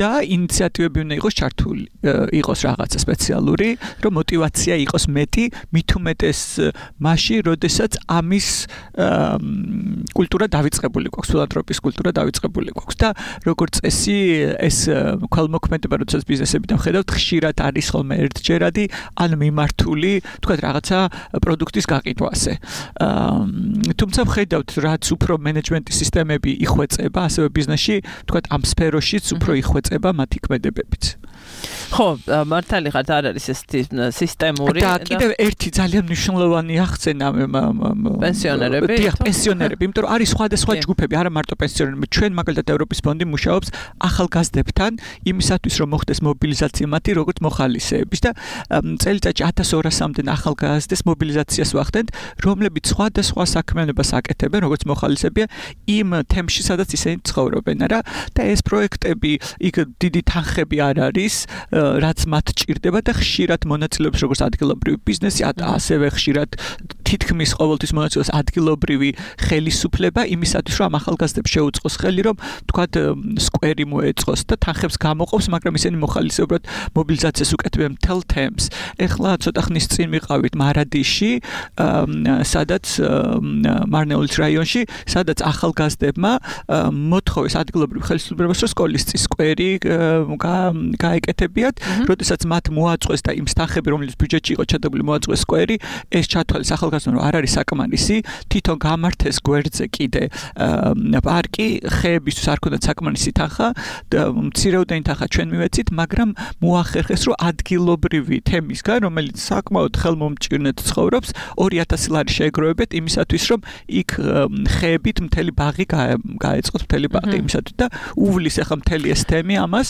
და ინიციატივები უნდა იყოს ჩართული, იყოს რაღაცა სპეციალური, რომ мотивация იყოს მეტი, მით უმეტეს მასში, როდესაც ამის კულტურა დავიწყებული გვაქვს, ფილანთროპიის კულტურა დავიწყებული გვაქვს და როგორც წესი ეს ქველმოქმედება როდესაც ბიზნესებიდან ხედავთ ხშირად არის ხოლმე ერთჯერადი ან მიმართული თქვა რაღაცა პროდუქტის გაყიდვაზე. თუმცა ხედავთ რაც უფრო მენეჯმენტის სისტემები იხვეწება ასევე ბიზნესში თქვა ამ სფეროშიც უფრო იხვეწება მათი ქმედებებიც. ხო, მართალი ხართ, არ არის ეს სისტემური და კიდევ ერთი ძალიან მნიშვნელოვანი აღწენა პენსიონერები. დიახ, პენსიონერები, იმიტომ რომ არის სხვადასხვა ჯგუფები, არა მარტო პენსიონერები. ჩვენ მაგალითად ევროპის ფონდი მუშაობს ახალგაზრდებთან იმისათვის რომ მოხდეს მობილიზაცია მათი როგორც მოხალისეების და წელიწადში 1200-მდე ახალგაზრდეს მობილიზაციას ვახდენთ, რომლებიც სხვადასხვა საქმიანობას აკეთებენ როგორც მოხალისეებია იმ თემში, სადაც ისინი ცხოვრობენ, არა? და ეს პროექტები იქ დიდი თანხები არ არის, რაც მათ ჭირდება და ხშირად მონაწილეობს როგორც ადგილობრივი ბიზნესი, ასევე ხშირად თითქმის ყოველთვის მონაწილეობს ადგილობრივი ხელისუფლება იმისათვის რომ ახალგაზრდებს შეუწყოს ხელი რომ თქვათ სკვერი მოეწყოს და თანხებს გამოყოფს, მაგრამ ისინი მოხალისეობრივად მობილიზაციას უკეთებენ მთელ თემს. ეხლა ცოტა ხნის წინ ვიყავით მარადიში, სადაც მარნეულის რაიონში, სადაც ახალგაზრდებმა მოთხოვეს ადგილობრივ ხელისუფლებას რომ სკოლის წის სკვერი გაეკეთებიათ, როდესაც მათ მოაწყვეს და იმ თანხები რომელიც ბიუჯეტში იყო ჩადებული მოაწყვეს სკვერი, ეს ჩათვალეს ახალგაზრდამ რომ არ არის საკმარისი, თვითონ გამართეს გვერდზე კიდე პარკი ხეებისთვის არ ქონდათ საკმარისი თანხა, მცირეოდენი თანხა ჩვენ მივეცით, მაგრამ მოახერხეს რომ ადგილობრივი თემისგან, რომელიც საკმაოდ ხელმომჭირნედ ცხოვრობს, 2000 ლარი შეეგროვებეთ იმისათვის რომ იქ ხეებით მთელი ბაღი გაეწყოთ, მთელი ბაღი იმისათვის და უვლის ახლა მთელი ეს თემი ამას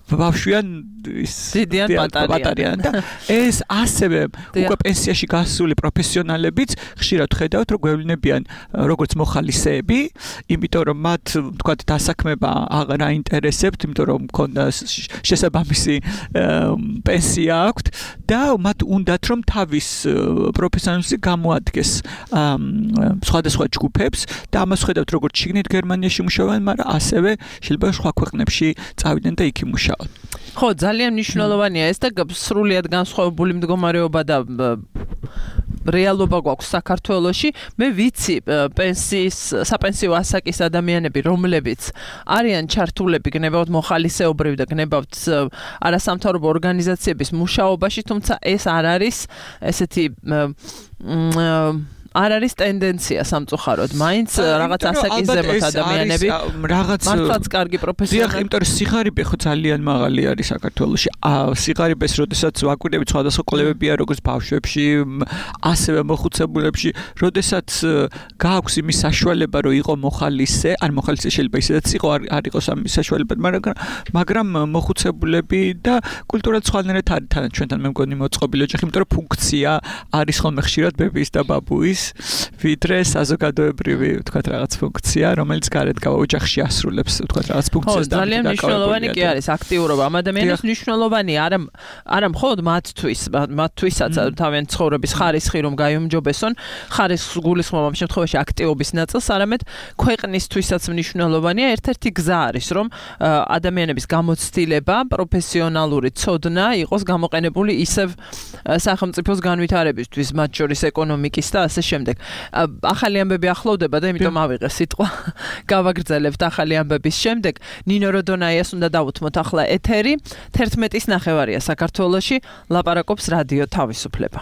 ბავშვიან დიდიან პატარიან და ეს ასევე უკვე პენსიაში გასული პროფესიონალებიც ხშირად ხედავთ რომ გვევლინებიან როგორც მოხალისეები, იმიტომ რომ მათ თქვათ დასაქმება აღარ აინტერესებთ, იმიტომ რომ მქონდა შესაბამისი პენსია აქვთ და მათ უნდათ რომ თავის პროფესიონალიზმი გამოადგეს სხვადასხვა ჯგუფებს და ამას ხედავთ როგორც შიგნით გერმანიაში მუშაობენ, მაგრამ ასევე შეიძლება სხვა ქვეყნებში წავიდნენ და იქ იმუშაონ. ხო, ძალიან მნიშვნელოვანია ეს და სრულიად განსხვავებული მდგომარეობა და რეალობა გვაქვს საქართველოში. მე ვიცი საპენსიო ასაკის ადამიანები, რომლებიც არიან ჩართულები გნებავთ მოხალისეობრივ და გნებავთ არასამთავრობო ორგანიზაციების მუშაობაში, თუმცა ეს არ არის ესეთი არ არის ტენდენცია სამწუხაროდ, მაინც რაღაც ასაკის ზემოთ ადამიანები მართლაც კარგი პროფესიონალი. იმიტომ რომ სიღარიბე ხო ძალიან მაღალი არის საქართველოში. სიღარიბეს როდესაც ვაკვირდებით სხვადასხვა კვლევებია როგორც ბავშვებში, ასევე მოხუცებულებში, როდესაც გააქვს იმის საშუალება რომ იყო მოხალისე, ან მოხალისე შეიძლება ისედაც იყო, არ იყოს ამის საშუალება, მაგრამ მოხუცებულები და კულტურად სხვანაირად არის თან ჩვენთან მე მგონი მოწყობილი ოჯახი, იმიტომ რომ ფუნქცია არის ხოლმე ხშირად ბებიის და ბაბუის, ვიდრე საზოგადოებრივი, ვთქვათ, რაღაც ფუნქცია, რომელიც გარეთ გავა ოჯახში ასრულებს, ვთქვათ, რაღაც ფუნქციას და ძალიან მნიშვნელოვანი კი არის აქტიურობა. ამ ადამიანის მნიშვნელოვანი არა მხოლოდ მათთვისაც თავიანთ ცხოვრების ხარისხი რომ გაიუმჯობესონ, ხარისხს გულისხმობ ამ შემთხვევაში აქტივობის ნაწილს, არამედ ქვეყნისთვისაც მნიშვნელოვანია. ერთ-ერთი გზა არის რომ ადამიანების გამოცდილება, პროფესიონალური ცოდნა იყოს გამოყენებული ისევ სახელმწიფოს განვითარებისთვის, მათ შორის ეკონომიკის და ასე შემდეგ. ახალი ამბები ახლოვდება და იმიტომ ავიღე სიტყვა. გავაგრძელებთ ახალი ამბების შემდეგ. ნინო როდონაიას უნდა დავუთმოთ ახლა ეთერი. 11:09 საქართველოში ლაპარაკობს რადიო თავისუფლება.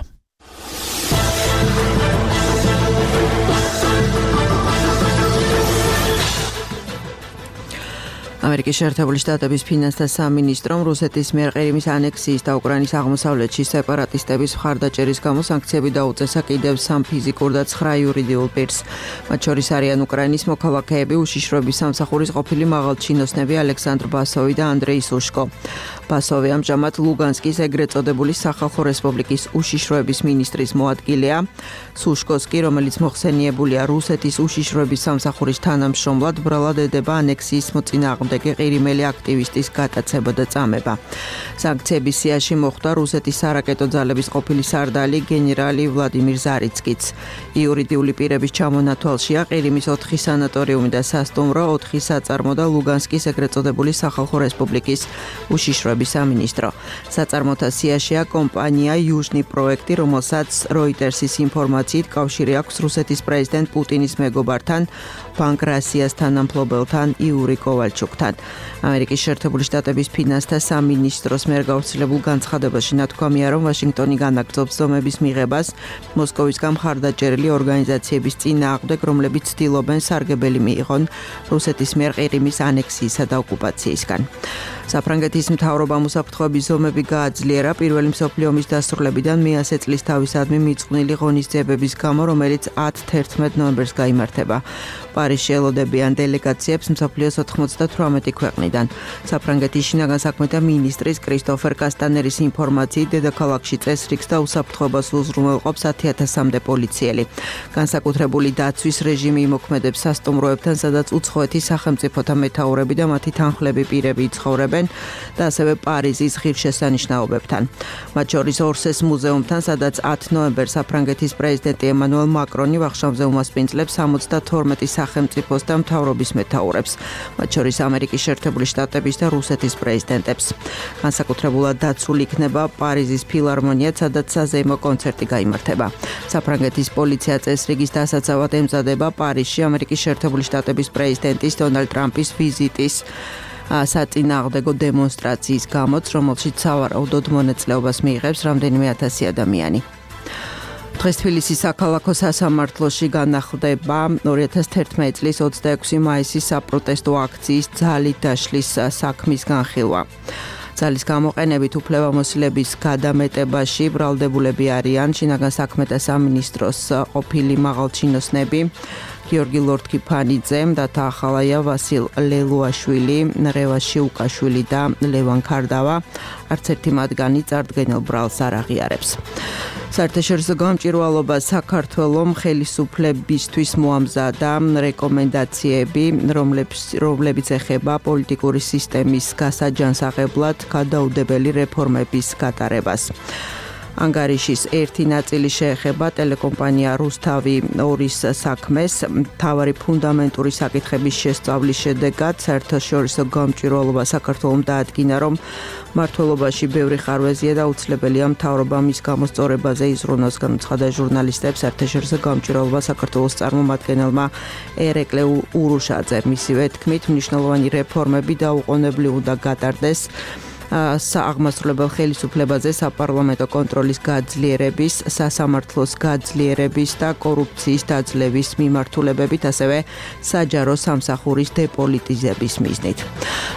ამერიკის შეერთებული შტატების ფინანსთა სამინისტრომ რუსეთის მიერ ყირიმის ანექსიის და უკრაინის აღმოსავლეთში სეპარატისტების მხარდაჭერის გამო სანქციები დაუწესა კიდევ 3 ფიზიკურ და 9 იურიდიულ პირს. მათ შორის არიან უკრაინის მოქალაქეები, უშიშროების სამსახურის ყოფილი მაღალჩინოსნები ალექსანდრ ბასოვი და ანდრეი სუშკო. ბასოვი ამჟამად ლუგანსკის ეგრეთ წოდებული სახალხო რესპუბლიკის უშიშროების მინისტრის მოადგილეა. სუშკოს კი, რომელიც მოხსენიებულია რუსეთის უშიშროების სამსახურის თანამშრომლად, ბრალად ედება ანექსიის მოწინააღმდეგე ყირიმელი აქტივისტის გატაცება და წამება. სანქციების სიაში მოხვდა რუსეთის სარაკეტო ძალების ყოფილი სარდალი გენერალი ვლადიმირ ზარიცკიც. იურიდიული პირების ჩამონათვალშია ყირიმის 4 სანატორიუმი და სასტუმრო, 4 საწარმო და ლუგანსკის ეგრეთ წოდებული სახალხო რესპუბლიკის უშიშროების სამინისტრო. საწარმოთა სიაშია კომპანია იუჟნი პროექტი, რომელსაც როიტერსის ინფორმაციით კავშირი აქვს რუსეთის პრეზიდენტ პუტინის მეგობართან, ბანკრასიას თანამფლობელთან იური კოვალჩუკთან. ამერიკის შეერთებული შტატების ფინანსთა სამინისტროს მიერ გავრცელებულ განცხადებაში ნათქვამია, რომ ვაშინგტონი განაგრძობს ზომების მიღებას მოსკოვისგან მხარდაჭერილი ორგანიზაციების წინააღმდეგ, რომლებიც ცდილობენ სარგებელი მიიღონ რუსეთის მიერ ყირიმის ანექსიისა და ოკუპაციისგან. საფრანგეთის მთავრობამ უსაფრთხოების ზომები გააძლიერა პირველი მსოფლიო ომის დასრულებიდან მე-100 წლის თავისადმი მიწყვნილი ღონისძიებების გამო, რომელიც 10-11 ნოემბერს გაიმართება. პარიზში ელოდებიან დელეგაციებს მსოფლიოს 98 ქვეყნიდან. საფრანგეთის შინაგან საქმეთა მინისტრის კრისტოფერ კასტანერის ინფორმაციით, დედაქალაქში წესრიგს და უსაფრთხოებას უზრუნველყოფს 10,000-მდე პოლიციელი. განსაკუთრებული დაცვის რეჟიმი იმოქმედებს სასტუმროებთან, სადაც უცხოეთის სახელმწიფოთა მეთაურები და მათი თანხლები პირები იცხოვრებენ და ასევე პარიზის ღირსშესანიშნაობებთან. მათ შორის ორსეს მუზეუმთან, სადაც 10 ნოემბერს საფრანგეთის პრეზიდენტი ემანუელ მაკრონი ვახშამზე უმასპინძლებს 72 სახელმწიფოს და მთავრობის მეთაურებს, მათ შორის ამერიკის შეერთებული შტატების და რუსეთის პრეზიდენტებს. განსაკუთრებულად დაცული იქნება პარიზის ფილარმონია, სადაც საზეიმო კონცერტი გაიმართება. საფრანგეთის პოლიცია წესრიგის დასაცავად ემზადება პარიზში ამერიკის შეერთებული შტატების პრეზიდენტის დონალდ ტრამპის ვიზიტის საწინააღმდეგო დემონსტრაციის გამოც, რომელშიც სავარაუდოდ მონაწილეობას მიიღებს რამდენიმე ათასი ადამიანი. დღეს თბილისის საქალაქო სასამართლოში განახლდება 2011 წლის 26 მაისის საპროტესტო აქციის ძალით დაშლის საქმის განხილვა. ძალის გამოყენებით უფლებამოსილების გადამეტებაში ბრალდებულები არიან შინაგან საქმეთა სამინისტროს ყოფილი მაღალჩინოსნები გიორგი ლორთქიფანიძე, დათა ახალაია, ვასილ ლელუაშვილი, რევას შიუკაშვილი და ლევან ქარდავა. არც ერთი მათგანი წარდგენილ ბრალს არ აღიარებს. საერთაშორისო გამჭვირვალობა საქართველოს ხელისუფლებისთვის მოამზადა რეკომენდაციები, რომლებიც ეხება პოლიტიკური სისტემის გასაჯანსაღებლად გადაუდებელი რეფორმების გატარებას. ანგარიშის ერთი ნაწილი შეეხება ტელეკომპანია რუსთავი 2-ის საქმეს. მთავარი ფუნდამენტური საკითხების შესწავლის შედეგად საერთაშორისო გამჭვირვალობა საქართველოს დაადგინა, რომ მმართველობაში ბევრი ხარვეზია და უცლებელია მთავრობა მის გამოსწორებაზე იზრუნოს, განაცხადა ჟურნალისტებს საერთაშორისო გამჭვირვალობა საქართველოს წარმომადგენელმა ერეკლე ურუშაძე. მისივე თქმით, მნიშვნელოვანი რეფორმები დაუყოვნებლივ უნდა გატარდეს სააღმასრულებელ ხელისუფლებაზე საპარლამენტო კონტროლის გაძლიერების, სასამართლოს გაძლიერების და კორუფციის დაძლევის მიმართულებებით, ასევე საჯარო სამსახურის დეპოლიტიზების მიზნით.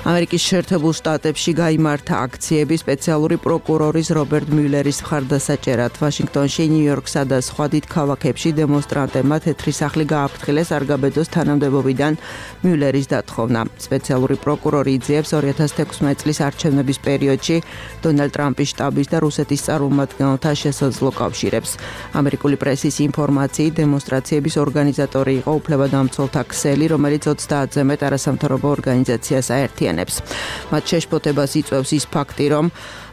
ამერიკის შეერთებულ შტატებში გაიმართა აქციები სპეციალური პროკურორის რობერტ მიულერის მხარდასაჭერად. ვაშინგტონში, ნიუ-იორკსა და სხვა დიდ ქალაქებში დემონსტრანტებმა თეთრი სახლი გააფრთხილეს არ გაბედოს თანამდებობიდან მიულერის დათხოვნა. სპეციალური პროკურორი იძიებს 2016 წლის არჩევნების პერიოდში დონალდ ტრამპის შტაბის და რუსეთის წარმომადგენელთა შესაძლო კავშირებს. ამერიკული პრესის ინფორმაციით დემონსტრაციების ორგანიზატორი იყო უფლებადამცველთა ქსელი, რომელიც 30-ზე მეტ არასამთავრობო ორგანიზაციას აერთიანებს. მათ შეშფოთებას იწვევს ის ფაქტი, რომ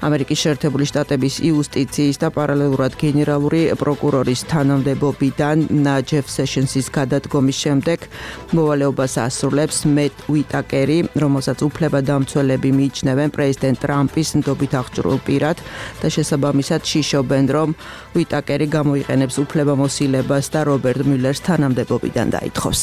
ამერიკის შეერთებული შტატების იუსტიციის და პარალელურად გენერალური პროკურორის თანამდებობიდან ჯეფ სეშენსის გადადგომის შემდეგ მოვალეობას ასრულებს მეტ უიტაკერი, რომელსაც უფლებადამცველები მიიჩნევენ პრეზიდენტ ტრამპის ნდობით აღჭურვილ პირად და შესაბამისად შიშობენ, რომ უიტაკერი გამოიყენებს უფლებამოსილებას და რობერტ მიულერს თანამდებობიდან დაითხოვს.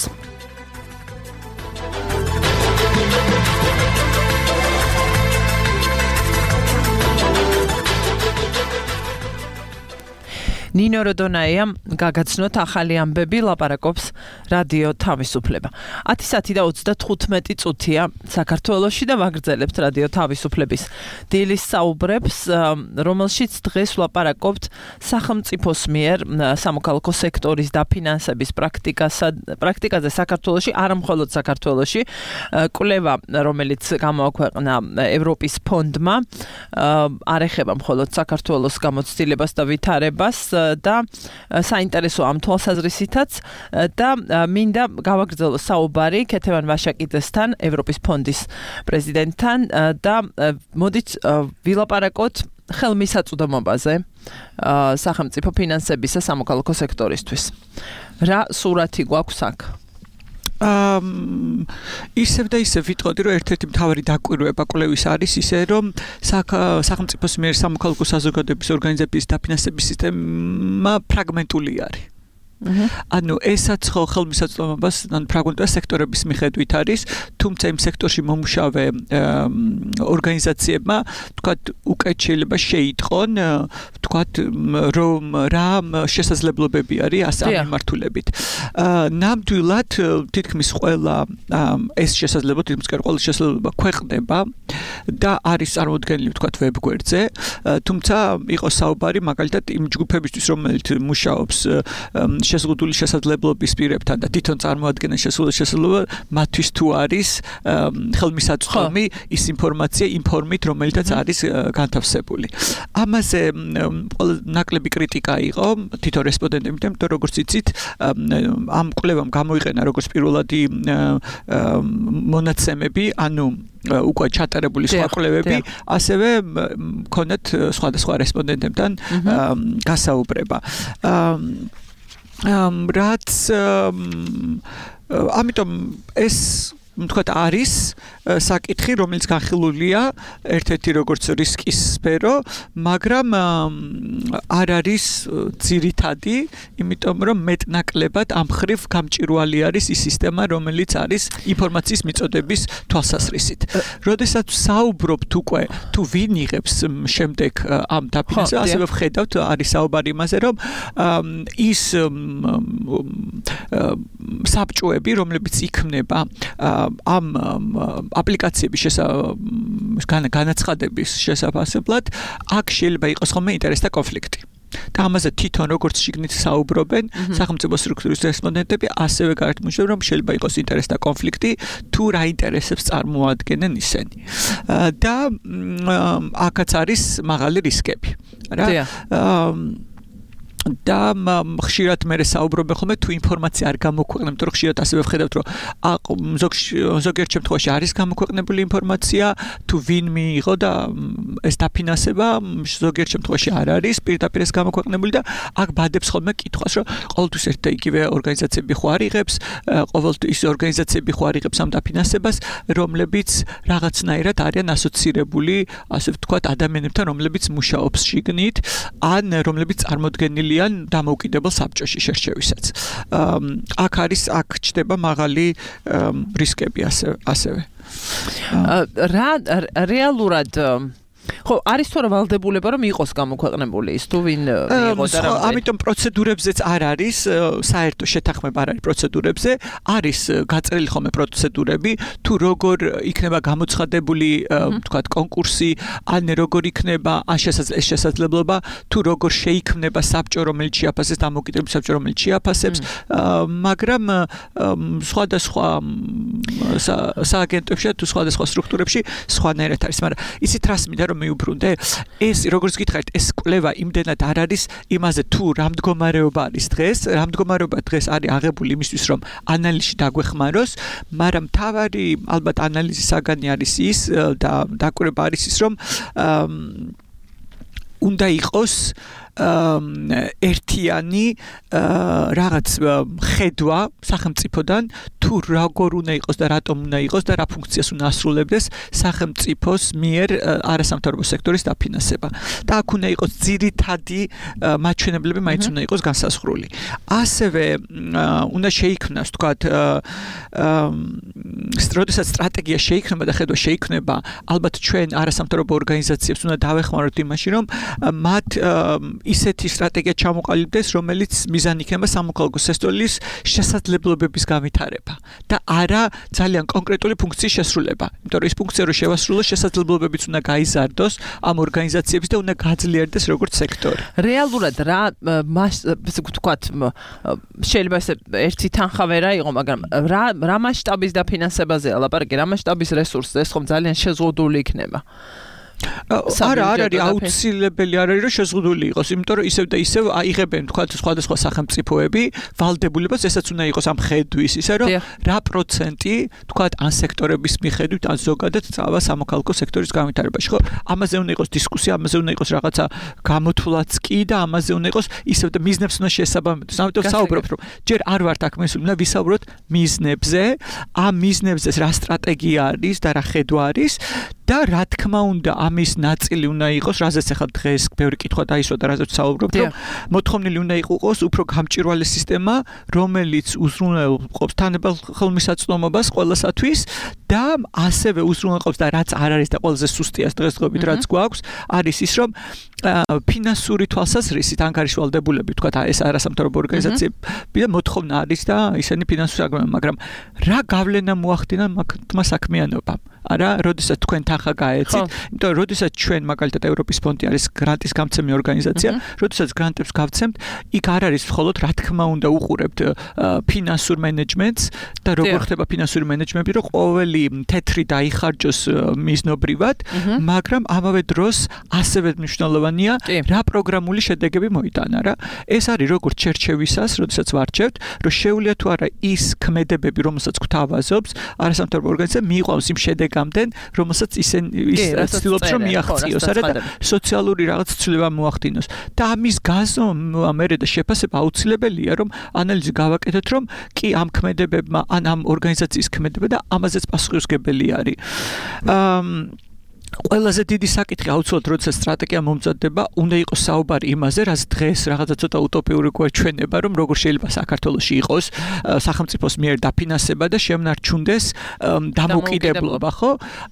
ნინო როდონაიამ გაგაცნოთ ახალი ამბები, ლაპარაკობს რადიო თავისუფლება. 10:35 წუთია საქართველოში და ვაგრძელებთ რადიო თავისუფლების დილის საუბრებს, რომელშიც დღეს ვლაპარაკობთ სახელმწიფოს მიერ სამოქალაქო სექტორის დაფინანსების პრაქტიკაზე საქართველოში, არა მხოლოდ საქართველოში, კვლევა, რომელიც გამოაქვეყნა ევროპის ფონდმა, არ ეხება მხოლოდ საქართველოს გამოცდილებას და ვითარებას და საინტერესო ამ თვალსაზრისითაც და მინდა გავაგრძელო საუბარი ქეთევან ვაშაკიძესთან, ევროპის ფონდის პრეზიდენტთან და მოდით ვილაპარაკოთ ხელმისაწვდომობაზე სახელმწიფო ფინანსებისა სამოქალაქო სექტორისთვის. რა სურათი გვაქვს აქ? ისევ და ისევ ვიტყოდი, რომ ერთ-ერთი მთავარი დაკვირვება კვლევის არის ისე, რომ სახელმწიფოს მიერ სამოქალაქო საზოგადოების ორგანიზების დაფინანსების სისტემა ფრაგმენტული არის. ანუ ესაც ხო ხელმისაწვდომობას ფრაგმენტული სექტორების მიხედვით არის, თუმცა იმ სექტორში მომუშავე ორგანიზაციებმა თქვათ უკეთ შეიძლება შეიტყონ, თქვათ რომ რა შესაძლებლობები არის ამ მიმართულებით. ნამდვილად თითქმის ყველა ეს შესაძლებლობა, თითქმის ყველა შესაძლებლობა ქვეყნდება და არის წარმოდგენილი თქვათ ვებგვერდზე, თუმცა იყო საუბარი მაგალითად იმ ჯგუფებისთვის, რომელიც მუშაობს შეზღუდული შესაძლებლობის პირებთან და თვითონ წარმოადგენენ შეზღუდული შესაძლებლობა, მათთვის თუ არის ხელმისაწვდომი ის ინფორმაცია, ინფორმით, რომელიცაც არის განთავსებული. ამაზე ნაკლები კრიტიკა იყო თვითონ რესპონდენტებთან, იმიტომ როგორც იცით, ამ კვლევამ გამოიყენა როგორც პირველადი მონაცემები, ანუ უკვე ჩატარებული სხვა კვლევები, ასევე მქონდათ სხვადასხვა რესპონდენტებთან გასაუბრება. რაც ამიტომ ეს თქვათ არის საკითხი, რომელიც განხილულია ერთ-ერთი როგორც რისკის სფერო, მაგრამ არ არის ძირითადი, იმიტომ რომ მეტნაკლებად ამ ხრივ გამჭვირვალე არის ის სისტემა, რომელიც არის ინფორმაციის მიწოდების თვალსაზრისით. როდესაც საუბრობთ უკვე თუ ვინ იღებს შემდეგ ამ დაფინანსებას, ასევე ვხედავთ არის საუბარი იმაზე, რომ ის საბჭოები, რომლებიც იქმნება ამ აპლიკაციების განაცხადების შესაძლებლად, აქ შეიძლება იყოს ხოლმე ინტერესთა კონფლიქტი. და ამაზე თვითონ როგორც შიგნით საუბრობენ სახელმწიფო სტრუქტურის რესპონდენტები, ასევე გარეთმუშავებენ, რომ შეიძლება იყოს ინტერესთა კონფლიქტი, თუ რა ინტერესებს წარმოადგენენ ისინი. და აქაც არის მაღალი რისკები. რა და ხშირად მე საუბრობენ ხოლმე თუ ინფორმაცია არ გამოქვეყნებთ, იმიტომ რომ ხშირად ასევე ვხედავთ, რომ ზოგიერთ შემთხვევაში არის გამოქვეყნებული ინფორმაცია, თუ ვინ მიიღო და ეს დაფინანსება ზოგიერთ შემთხვევაში არ არის პირდაპირ ეს გამოქვეყნებული და აქ ბადებს ხოლმე კითხვას, რომ ყოველთვის ერთ და იგივე ორგანიზაციები ხო არ იღებს, ყოველთვის ორგანიზაციები ხო არ იღებს ამ დაფინანსებას, რომლებიც რაღაცნაირად არიან ასოცირებული, ასე ვთქვათ, ადამიანებთან, რომლებიც მუშაობს შიგნით, ან რომლებიც წარმოდგენილი დამოუკიდებელ საბჭოში შერჩევისაც. აქ ჩდება მაღალი რისკები ასევე. რა რეალურად ხო, არის თუ არა ვალდებულება რომ იყოს გამოქვეყნებული ის თუ ვინ მიიღო და რა. ამიტომ პროცედურებზეც არ არის საერთო შეთანხმება არ არის პროცედურებზე, არის გაწერილი ხოლმე პროცედურები, თუ როგორ იქნება გამოცხადებული, თქვათ, კონკურსი, ან როგორ იქნება შესაძლებლობა, თუ როგორ შეიქმნება საბჭო, რომელიც შეაფასებს დამოუკიდებელი საბჭო, რომელიც შეაფასებს, მაგრამ სხვადასხვა სააგენტოებში თუ სხვადასხვა სტრუქტურებში სხვანაირად არის, მაგრამ ისიც რას მინდა რომ მიუბრუნდე, ეს როგორც გითხარით, ეს კვლევა იმდენად არ არის იმაზე თუ რა მდგომარეობა არის დღეს, რა მდგომარეობა დღეს არის აღებული იმისთვის რომ ანალიზში დაგვეხმაროს, მაგრამ თავარი ალბათ ანალიზის საგანი არის ის და დაკვირვება არის ის რომ უნდა იყოს ერთიანი რაღაც ხედვა სახელმწიფოდან თუ როგორ უნდა იყოს და რატომ უნდა იყოს და რა ფუნქციას უნდა ასრულებდეს სახელმწიფოს მიერ არასამთავრობო სექტორის დაფინანსება და აქ უნდა იყოს ძირითადი მაჩვენებლები მაინც უნდა იყოს განსაზღვრული. ასევე უნდა შეიქმნას თქვათ როდესაც სტრატეგია შეიქმნება და ხედვა შეიქმნება ალბათ ჩვენ არასამთავრობო ორგანიზაციებს უნდა დავეხმაროთ იმაში რომ მათ ისეთი სტრატეგია ჩამოყალიბდეს, რომელიც მიზანი იქნება სამოქალაქო სექტორის შესაძლებლობების განვითარება და არა ძალიან კონკრეტული ფუნქციის შესრულება. იმიტომ რომ ეს ფუნქცია რო შევასრულოს, შესაძლებლობებიც უნდა გაიზარდოს ამ ორგანიზაციების და უნდა გაძლიერდეს როგორც სექტორი. რეალურად რა ვთქვათ, შეიძლება ესე ერთი თანხა ვერა იყო, მაგრამ რა მასშტაბის დაფინანსებაზეა ლაპარაკი, რა მასშტაბის რესურსზე, ეს ხომ ძალიან შეზღუდული იქნება. არა არის აუცილებელი არ არის რომ შეზღუდული იყოს, იმიტომ რომ ისევ და ისევ აიღებენ თქვა სხვადასხვა სახელმწიფოები ვალდებულებას, ესაც უნდა იყოს ამ ხედვის, ისე რომ რა პროცენტი თქვა ან სექტორების მიხედვით ან ზოგადად წავა სამოქალაქო სექტორის განვითარებაში, ხო? ამაზე უნდა იყოს დისკუსია, ამაზე უნდა იყოს რაღაცა გამოთვლაც კი და ამაზე უნდა იყოს ისევ და მიზნებს უნდა შეესაბამებოდეს. ამიტომ საუბრობთ რომ ჯერ არ ვართ აქ მისული, უნდა ვისაუბროთ მიზნებზე, ამ მიზნებზე რა სტრატეგია არის და რა ხედვა არის და რა თქმა უნდა ამის ნაწილი უნდა იყოს, რაზეც ახლა დღეს ბევრი კითხვა დაისვა და რაზეც საუბრობთ, რომ მოთხოვნილი უნდა იყოს უფრო გამჭვირვალე სისტემა, რომელიც უზრუნველყოფს თანაბარ ხელმისაწვდომობას ყველასათვის და ასევე უზრუნველყოფს და რაც არ არის და ყველაზე სუსტია დღესდღეობით რაც გვაქვს, არის ის რომ ფინანსური თვალსაზრისით ანგარიშვალდებულები, თქვა ეს არასამთავრობო ორგანიზაციები და მოთხოვნა არის და ისინი ფინანსური აგროვებენ, მაგრამ რა გავლენა მოახდინა მაგმა საქმიანობამ? არა, როდესაც თქვენ თანხა გაეცით, იმიტომ რომ როდესაც ჩვენ მაგალითად ევროპის ფონდი არის გრანტის გამცემი ორგანიზაცია, როდესაც გრანტებს გავცემთ, იქ არ არის მხოლოდ რა თქმა უნდა უყურებთ ფინანსურ მენეჯმენტს და როგორ ხდება ფინანსური მენეჯმენტი, რომ ყოველი თეთრი დაიხარჯოს მიზნობრივად, მაგრამ ამავე დროს ასევე მნიშვნელოვანია რა პროგრამული შედეგები მოიტანა რა. ეს არის როგორც ჩერჩევისას, როდესაც ვარჩევთ, რომ შეუძლია თუ არა ის ქმედებები, რომელსაც გვთავაზობს არასამთავრობო ორგანიზაცია მიიყვანოს იმ შედეგამდე, რომელსაც ის ცდილობს რომ მიაღწიოს, არა და სოციალური რაღაც ცვლილება მოახდინოს. და ამის გაზომვა მერე და შეფასება აუცილებელია, რომ ანალიზი გავაკეთოთ, რომ კი ამ ქმედებებმა, ან ამ ორგანიზაციის ქმედება და ამაზეც პასუხისმგებელი არის. ყველაზე დიდი საკითხი აუცილებლად როდესაც სტრატეგია მომზადდება, უნდა იყოს საუბარი იმაზე, რაც დღეს რაღაცა ცოტა утоპიური გვაჩვენება, რომ როგორ შეიძლება საქართველოში იყოს სახელმწიფოს მიერ დაფინანსება და შემნარჩუნდეს დამოუკიდებლობა, ხო?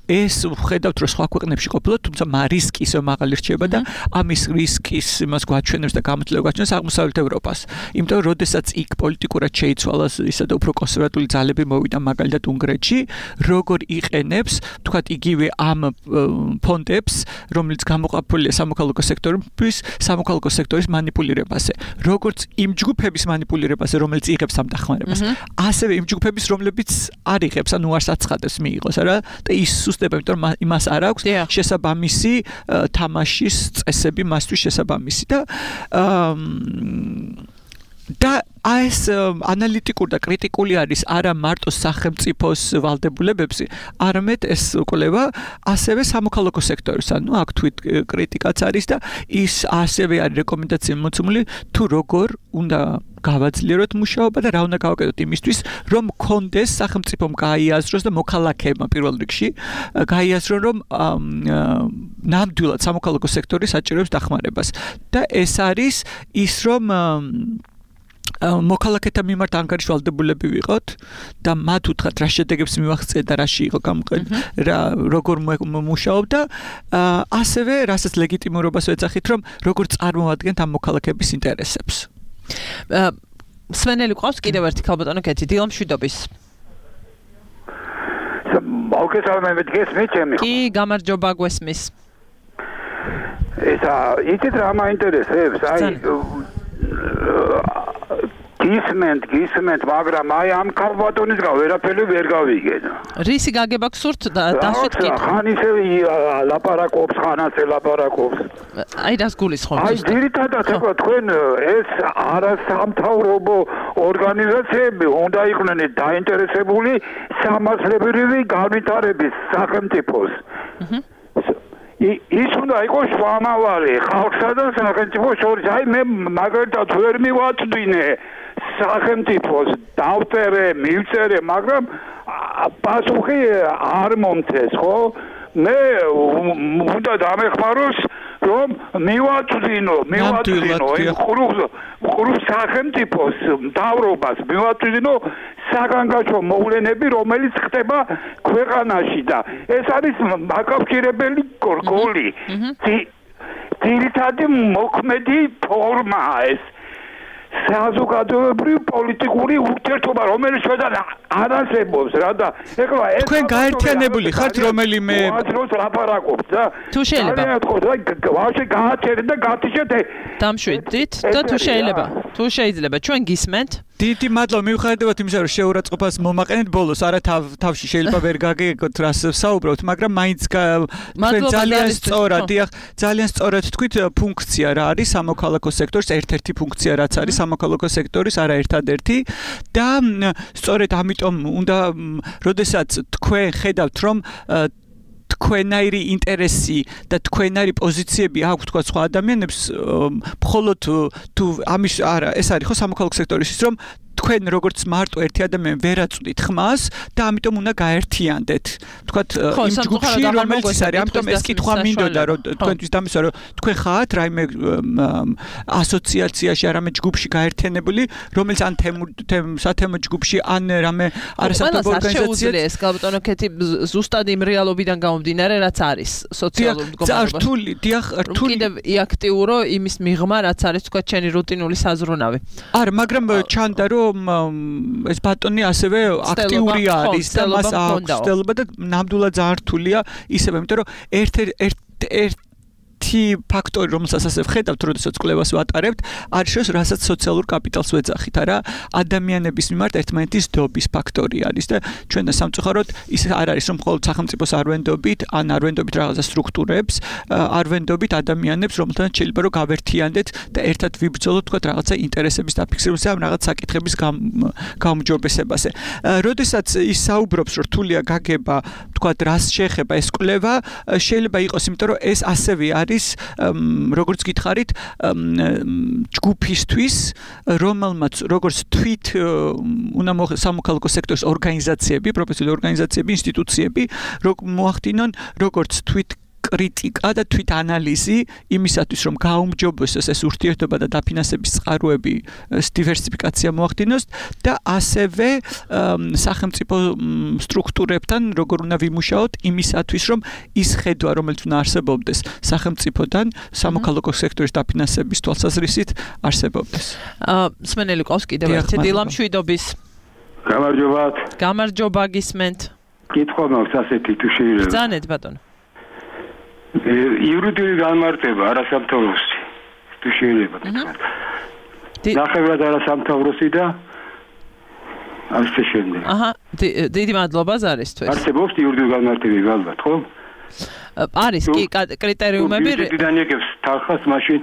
ეს ვხედავთ, რომ სხვა ქვეყნებში ყოფილა, თუმცა რისკი ისე მაღალი რჩება და ამის რისკის იმას გვაჩვენებს და გამოთვლება გვაჩვენებს აღმოსავლეთ ევროპას. იმიტომ რომ როდესაც იქ პოლიტიკურად შეიცვალა ისა და უფრო კონსერვატული ძალები მოვიდა მაგალითად უნგრეთში, როგორ იყენებს, თქვათ იგივე ამ ფონდებს, რომელიც გამოყოფილია სამოქალაქო სექტორის, სამოქალაქო სექტორის манипуლირებაზე. როგორც იმ ჯგუფების манипуლირებაზე, რომელიც იღებს ამ დახმარებას, ასევე იმ ჯგუფების, რომლებიც არ იღებს, ანუ არ საცხადებს მიიღოს, არა? და ის სუსტება, იმიტომ რომ იმას არ აქვს შესაბამისი თამაშის წესები მასთვის შესაბამისი და ეს ანალიტიკური და კრიტიკული არის არა მარტო სახელმწიფოს ვალდებულებებზე, არამედ ეს კვლევა ასევე სამოქალაქო სექტორის, ანუ აქ თვით კრიტიკაც არის და ის ასევე არის რეკომენდაცია მოცემული თუ როგორ უნდა გავაძლიეროთ მუშაობა და რა უნდა გავაკეთოთ იმისთვის, რომ კონდეს სახელმწიფომ გაიაზროს და მოქალაქეებმა პირველ რიგში გაიაზრონ, რომ ნამდვილად სამოქალაქო სექტორი საჭიროებს დახმარებას და ეს არის ის, რომ მოქალაქეთა მიმართ ანგარიშვალდებულები ვიყოთ და მათ უთხრათ რა შედეგებს მივახცეთ და რაში იყო გამოყენებული რა როგორ მუშაობდა ასევე რასაც ლეგიტიმურობას ვეძახით რომ როგორ წარმოადგენთ ამ მოქალაქეების ინტერესებს სვენელი ყავს კიდევ ერთი ქალბატონო კეთი დილამშვიდობის მოგესალმებით გესმით ჩემი კი გამარჯობა გვესმის ესა იცით რა მაინტერესებს აი გისმენთ მაგრამ აი ამ ქალბატონისგან ვერაფერი ვერ გავიგენ რისი გაგება გსურთ დასვით კითხვა ხან ისე ლაპარაკობს ხან ასე ლაპარაკობს აი რას გულისხმობთ აი ძირითადად ეხლა თქვენ ეს არასამთავრობო ორგანიზაციები უნდა იყვნენ დაინტერესებული სამართლებრივი განვითარების სახელმწიფოს ის უნდა იყოს შუამავალი ხალხსა და სახელმწიფოს შორის აი მე მაგალითად ვერ მივაწვდინე სახელმწიფოს დავწერე მივწერე მაგრამ პასუხი არ მომწეს ხო მე უნდა დამეხმაროს რომ მივაწვდინო ხურუხ სახელმწიფოს მთავრობას მივაწვდინო საგანგაშო მოვლენები რომელიც ხდება ქვეყანაში და ეს არის მაკავშირებელი გოლი ძირითადი მოქმედი ფორმაა ეს საზოგადოებრივი პოლიტიკური ურთიერთობა რომელიც შედან არ არსებობს რა და ეხლა ეს თქვენ გაერთიანებული ხართ რომელიმე უაზროს ლაპარაკობს და თუ შეიძლება ვაში გააჩერეთ და გათიშეთ დამშვიდით და თუ შეიძლება ჩვენ გისმენთ დიდი მადლობა მივხვდებით იმისა რომ შეურაცხყოფას მომაყენეთ ბოლოს არა თავში შეიძლება ვერ გაგიგოთ რას საუბრობთ მაგრამ მაინც ძალიან სწორად თქვით ფუნქცია რა არის სამოქალაქო სექტორის ერთ-ერთი ფუნქცია რაც არის სამოქალაქო სექტორის არა ერთადერთი და სწორედ ამიტომ უნდა როდესაც თქვენ ხედავთ რომ თქვენაირი ინტერესი და თქვენაირი პოზიციები აქვს თქვა სხვა ადამიანებს მხოლოდ თუ ამის არა ეს არის ხო სამოქალაქო სექტორის ის რომ თქვენ როგორც მარტო ერთი ადამიანი ვერ აწვდით ხმას და ამიტომ უნდა გაერთიანდეთ თქვათ იმ ჯგუფში რომელიც ის არის ამიტომ ეს კითხვა მინდოდა რომ თქვენთვის დამისვა რომ თქვენ ხართ რაიმე ასოციაციაში არამედ ჯგუფში გაერთიანებული რომელიც ან სათემო ჯგუფში ან რამე არასამთავრობო ორგანიზაცია ეს ქალბატონო კეთი ზუსტად იმ რეალობიდან გამომდინარე რაც არის სოციალურ მდგომარეობაში რთული კიდევ იაქტიურო იმის მიღმა რაც არის თქვათ ჩენი რუტინული საზრუნავი არა მაგრამ ჩანდა რომ ეს ბატონი ასევე აქტიური არის და მას აქვს ცდელობა და ნამდვილად ძალიან რთულია ისევე იმიტომ რომ ერთი ფაქტორი რომელსაც ასე ვხედავთ როდესაც კვლევას ვატარებთ არის რომ რასაც სოციალურ კაპიტალს ვეძახით არა ადამიანების მიმართ ერთმანეთის დობის ფაქტორი არის და ჩვენ და სამწუხაროდ ის არ არის რომ მხოლოდ სახელმწიფოს არ ვენდობით ან არ ვენდობით რაღაცა სტრუქტურებს არ ვენდობით ადამიანებს რომელთანაც შეიძლება რომ გავერთიანდეთ და ერთად ვიბრძოლოთ თქვა რაღაცა ინტერესების დაფიქსირებაზე ამ რაღაც საკითხების გაუმჯობესებაზე როდესაც ის საუბრობს რომ რთულია გაგება თქვა რას შეეხება ეს კვლევა შეიძლება იყოს იმიტომ რომ ეს ასევე არის როგორც გითხარით ჯგუფისთვის რომელმაც როგორც თვით უნდა სამოქალაქო სექტორის ორგანიზაციები პროფესიული ორგანიზაციები ინსტიტუციები მოახდინონ როგორც თვით კრიტიკა და თვით ანალიზი იმისათვის რომ გაუმჯობესოს ეს ურთიერთობა და დაფინანსების წყაროები დივერსიფიკაცია მოახდინოს და ასევე სახელმწიფო სტრუქტურებთან როგორ უნდა ვიმუშაოთ იმისათვის რომ ის ხედვა რომელიც უნდა არსებობდეს სახელმწიფოდან სამოქალაქო სექტორის დაფინანსების თვალსაზრისით არსებობდეს სმენელი ყავს კიდევ ერთი დილამშვიდობის გამარჯობა გისმენთ კითხვა მაქვს ასეთი თუ შეიძლება ბრძანეთ ბატონო იურიდიული განმარტება არასამთავრობოსი თუ შეიძლება თქვა. ნახევრად არასამთავრობოსი და ასე შემდეგ. აჰა, დიდი მადლობა ზარისთვის. არსებობს იურიდიული განმარტებები ალბათ, ხო? არის კი კრიტერიუმები. დიდანიეკებს თანხას მაშინ.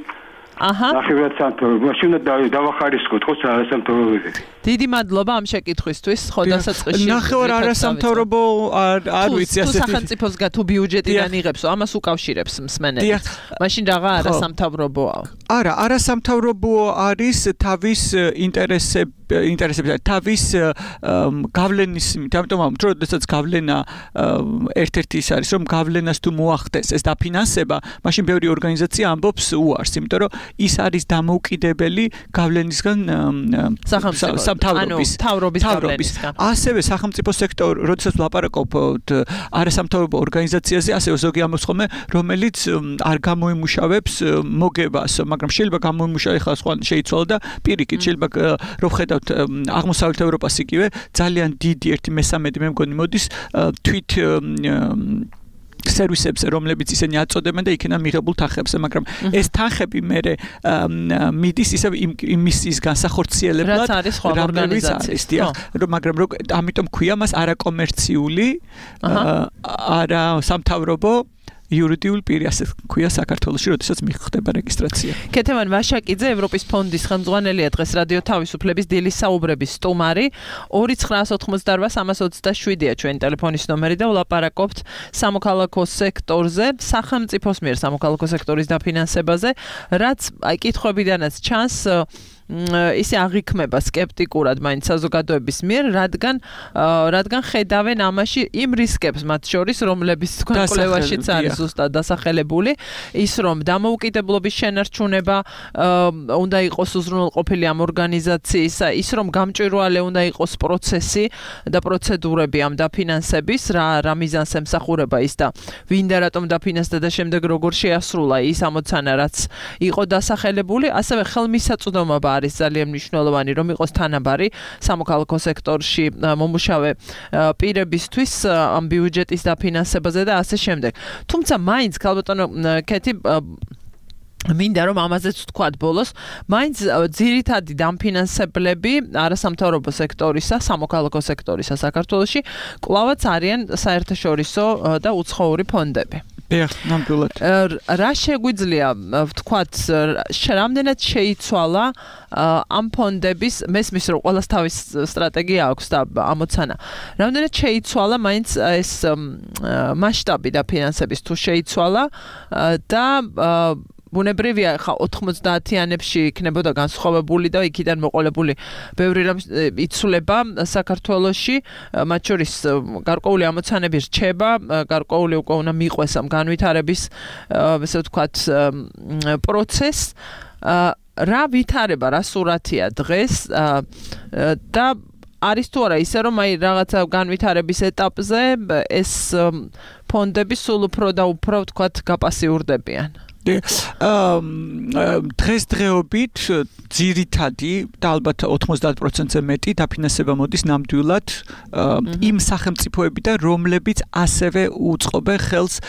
აჰა. ნახევრად სამთავრობო, მაშინ უნდა დავახარისკოთ ხო არასამთავრობოები. დიდი მადლობა ამ შეკითხვისთვის. ხო, დასაწყისში. ნახევარ არასამთავრობო არ ვიცი ასეთი. თუ სახელმწიფოს თუ ბიუჯეტიდან იღებსო, ამას უკავშირებს მსმენელს. მაშინ რაღა არასამთავრობოა? არა, არასამთავრობო არის თავის ინტერესები, თავის გავლენის, ამიტომ როდესაც გავლენა ერთ-ერთი ის არის, რომ გავლენას თუ მოახდეს ეს დაფინანსება, მაშინ ბევრი ორგანიზაცია ამბობს უარს, იმიტომ რომ ის არის დამოუკიდებელი გავლენისგან სამთავრობის გავლენისგან. ასევე სახელმწიფო სექტორი, როდესაც ვლაპარაკობთ არასამთავრობო ორგანიზაციაზე, ასევე ზოგი ამბობს ხოლმე, რომელიც არ გამოიმუშავებს მოგებას, მაგრამ შეიძლება გამოიმუშავოს ხა სხვა შეიცვალა და პირიქით შეიძლება რომ ხედავთ აღმოსავლეთ ევროპას იგივე ძალიან დიდი 1/3 მე მგონი მოდის თვით სერვისებზე, რომლებიც ისინი აწოდებენ და იქიდან მიღებულ თანხებზე, მაგრამ ეს თანხები მერე მიდის ისევ იმის განსახორციელებლად, რაც არის სხვა ორგანიზაციის, მაგრამ ამიტომ ქვია მას არაკომერციული, არა სამთავრობო იურიდიული პირი, ასე ქვია საქართველოში, როდესაც მიხდება რეგისტრაცია. ქეთევან ვაშაკიძე, ევროპის ფონდის ხელმძღვანელია, დღეს რადიო თავისუფლების დილის საუბრების სტუმარი. 2988327-ია ჩვენი ტელეფონის ნომერი და ვლაპარაკობთ სამოქალაქო სექტორზე, სახელმწიფოს მიერ სამოქალაქო სექტორის დაფინანსებაზე, რაც კითხვებიდანაც ჩანს ისე აღიქმება სკეპტიკურად მაინც საზოგადოების მიერ, რადგან ხედავენ ამაში იმ რისკებს მათ შორის, რომლებიც თქვენ კვლევაშიც არის ზუსტად დასახელებული, ის რომ დამოუკიდებლობის შენარჩუნება უნდა იყოს უზრუნველყოფილი ამ ორგანიზაციის, ის რომ გამჭვირვალე უნდა იყოს პროცესი და პროცედურები ამ დაფინანსების, რა მიზანს ემსახურება ის და ვინ და რატომ დაფინანსდა და შემდეგ როგორ შეასრულა ის ამოცანა, რაც იყო დასახელებული, ასევე ხელმისაწვდომობა არის ძალიან მნიშვნელოვანი, რომ იყოს თანაბარი სამოქალაქო სექტორში მომუშავე პირებისთვის ამ ბიუჯეტის დაფინანსებაზე და ასე შემდეგ. თუმცა მაინც ქალბატონო კეთი მინდა რომ ამაზეც ვთქვათ ბოლოს, მაინც ძირითადი დამფინანსებლები არასამთავრობო სექტორისა, სამოქალაქო სექტორისა საქართველოში კვლავაც არიან საერთაშორისო და უცხოური ფონდები. ნამდვილად. რა შეგვიძლია ვთქვათ, რამდენად შეიცვალა ამ ფონდების, მესმის რომ ყველას თავის სტრატეგია აქვს და ამოცანა. რამდენად შეიცვალა მაინც ეს მასშტაბი დაფინანსების თუ შეიცვალა და ბუნებრივია ხა 90-იანებში იქნებოდა განსხვავებული და იქიდან მოყოლებული ბევრი რამ იცვლება საქართველოში, მათ შორის გარკვეული ამოცანები რჩება, გარკვეული უკვე უნდა მიყვეს ამ განვითარების, ესე ვთქვათ, პროცესს. რა ვითარება, რა სურათია დღეს და არის თუ არა ისე რომ აი რაღაცა განვითარების ეტაპზე ეს ფონდები სულ უფრო და უფრო ვთქვათ გაპასიურდებიან. დღესდღეობით ძირითადი და ალბათ 90%-ზე მეტი დაფინანსება მოდის ნამდვილად იმ სახელმწიფოებიდან, რომლებიც ასევე უწყობენ ხელს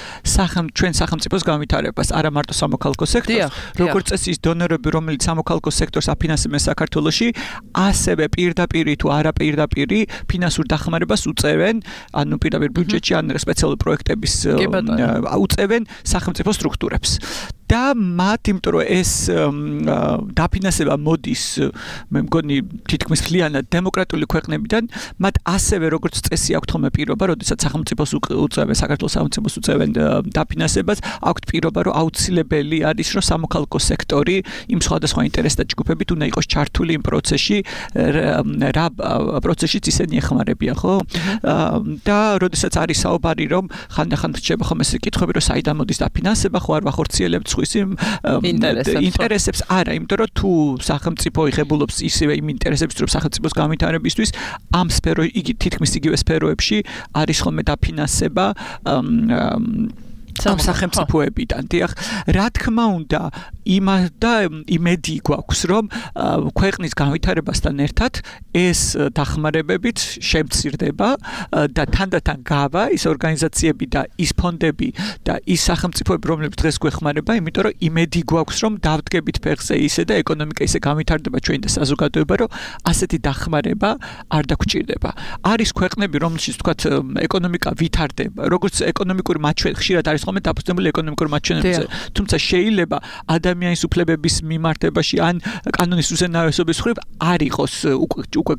ჩვენ სახელმწიფოს განვითარებას, არა მარტო სამოქალაქო სექტორს, როგორც წესი ის დონორები, რომელიც სამოქალაქო სექტორს აფინანსებენ საქართველოში, ასევე პირდაპირ თუ არაპირდაპირ ფინანსურ დახმარებას უწევენ, ანუ პირდაპირ ბიუჯეტში ან სპეციალური პროექტების უწევენ სახელმწიფო სტრუქტურებს. და მათ, იმიტომ რომ ეს დაფინანსება მოდის, მე მგონი თითქმის მთლიანად დემოკრატიული ქვეყნებიდან, მათ ასევე როგორც წესი აქვთ ხოლმე პირობა, როდესაც სახელმწიფოს უწევენ, საქართველოს სახელმწიფოს უწევენ დაფინანსებას, აქვთ პირობა, რომ აუცილებელი არის, რომ სამოქალაქო სექტორი იმ სხვადასხვა ინტერესთა ჯგუფებით უნდა იყოს ჩართული იმ პროცესში, რა პროცესშიც ისინი ეხმარებიან, ხო? და როდესაც არის საუბარი, რომ ხანდახან რჩება ხოლმე ეს კითხვები, რომ საიდან მოდის დაფინანსება, ხო არ ვახორციელებთ ინტერესებს არა, იმიტომ რომ თუ სახელმწიფო იღებულობს ისევე იმ ინტერესებს, რომ სახელმწიფოს განვითარებისთვის ამ იგი თითქმის იგივე სფეროებში არის ხოლმე დაფინანსება სახელმწიფოებიდან. რა თქმა უნდა, იმედი გვაქვს, რომ ქვეყნის განვითარებასთან ერთად ეს დახმარებებიც შემცირდება და თანდათან გავა ის ორგანიზაციები და ის ფონდები და ის სახელმწიფოები, რომლებიც დღეს გვეხმარება, იმიტომ რომ იმედი გვაქვს, რომ დავდგებით ფეხზე ისე და ეკონომიკა ისე განვითარდება ჩვენი და საზოგადოება, რომ ასეთი დახმარება არ დაგჭირდება. არის ქვეყნები, რომელშიც თქვათ ეკონომიკა ვითარდება, როგორც ეკონომიკური მაჩვენებელი ხშირად არის ხოლმე დაფუძნებული ეკონომიკურ მაჩვენებლებზე. თუმცა შეიძლება ადამიანის უფლებების მიმართებაში ან კანონის უზენაესობის მხრივ არ იყოს უკვე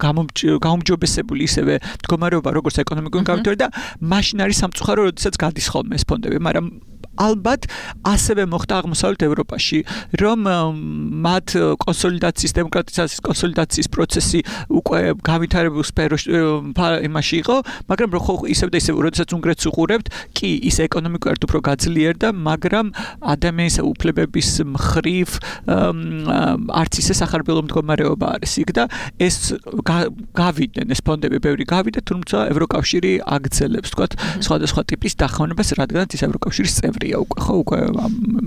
გაუმჯობესებული ისევე მდგომარეობა როგორც ეკონომიკური განვითარება და მაშინ არის სამწუხარო, როდესაც გადის ხოლმე ეს ფონდები, მაგრამ ალბათ ასევე მოხდა აღმოსავლეთ ევროპაში, რომ მათ კონსოლიდაციის, დემოკრატიზაციის კონსოლიდაციის პროცესი უკვე განვითარებულ სფეროში იმაში იყო, მაგრამ ხო ისევ და ისევ, როდესაც უნგრეთს უყურებთ, კი ის ეკონომიკურად უფრო გაძლიერდა, მაგრამ ადამიანის უფლებების მხრივ არც ისე სახარბელო მდგომარეობა არის იქ და ეს გავიდნენ ეს ფონდები ბევრი გავიდა, თუმცა ევროკავშირი აგრძელებს, თქვათ, სხვადასხვა ტიპის დახმარებას, რადგანაც ის ევროკავშირის წევრია უკვე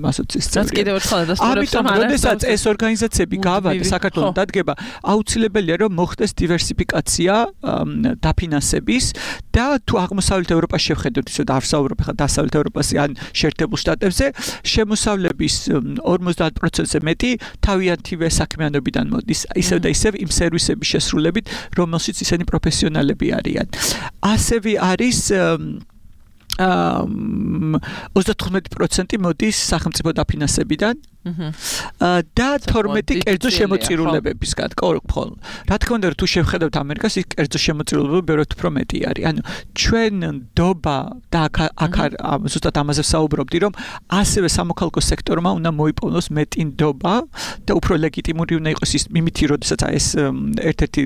ასოციაციის წევრი. რაც კიდევ ერთხელ დასტურებს, რომ როდესაც ეს ორგანიზაციები გავადა საქართველოს დადგება, აუცილებელია რომ მოხდეს დივერსიფიკაცია დაფინანსების და თუ აღმოსავლეთ ევროპას შევხედოთ, ისე დავსაუბრობ ხა დასავლეთ ევროპაზე ან შეერთებულ შტატებზე, შემოსავლების 50%-ზე მეტი თავიანთივე საქმიანობიდან მოდის, ისევ და ისევ იმ სერვისების შესრულებით, რომელშიც ისინი პროფესიონალები არიან. ასევე არის 35% მოდის სახელმწიფო დაფინანსებიდან და 12 კერძო შემოწირულებებისგან. რა თქმა უნდა, თუ შევხედავთ ამერიკას, ის კერძო შემოწირულებები ბევრად უფრო მეტი არის. ანუ ჩვენ ნდობა და აქ ზუსტად ამაზე ვსაუბრობდი, რომ ასევე სამოქალაქო სექტორმა უნდა მოიპოვნოს მეტი ნდობა და უფრო ლეგიტიმური უნდა იყოს ის მიმითი, როდესაც ეს ერთ-ერთი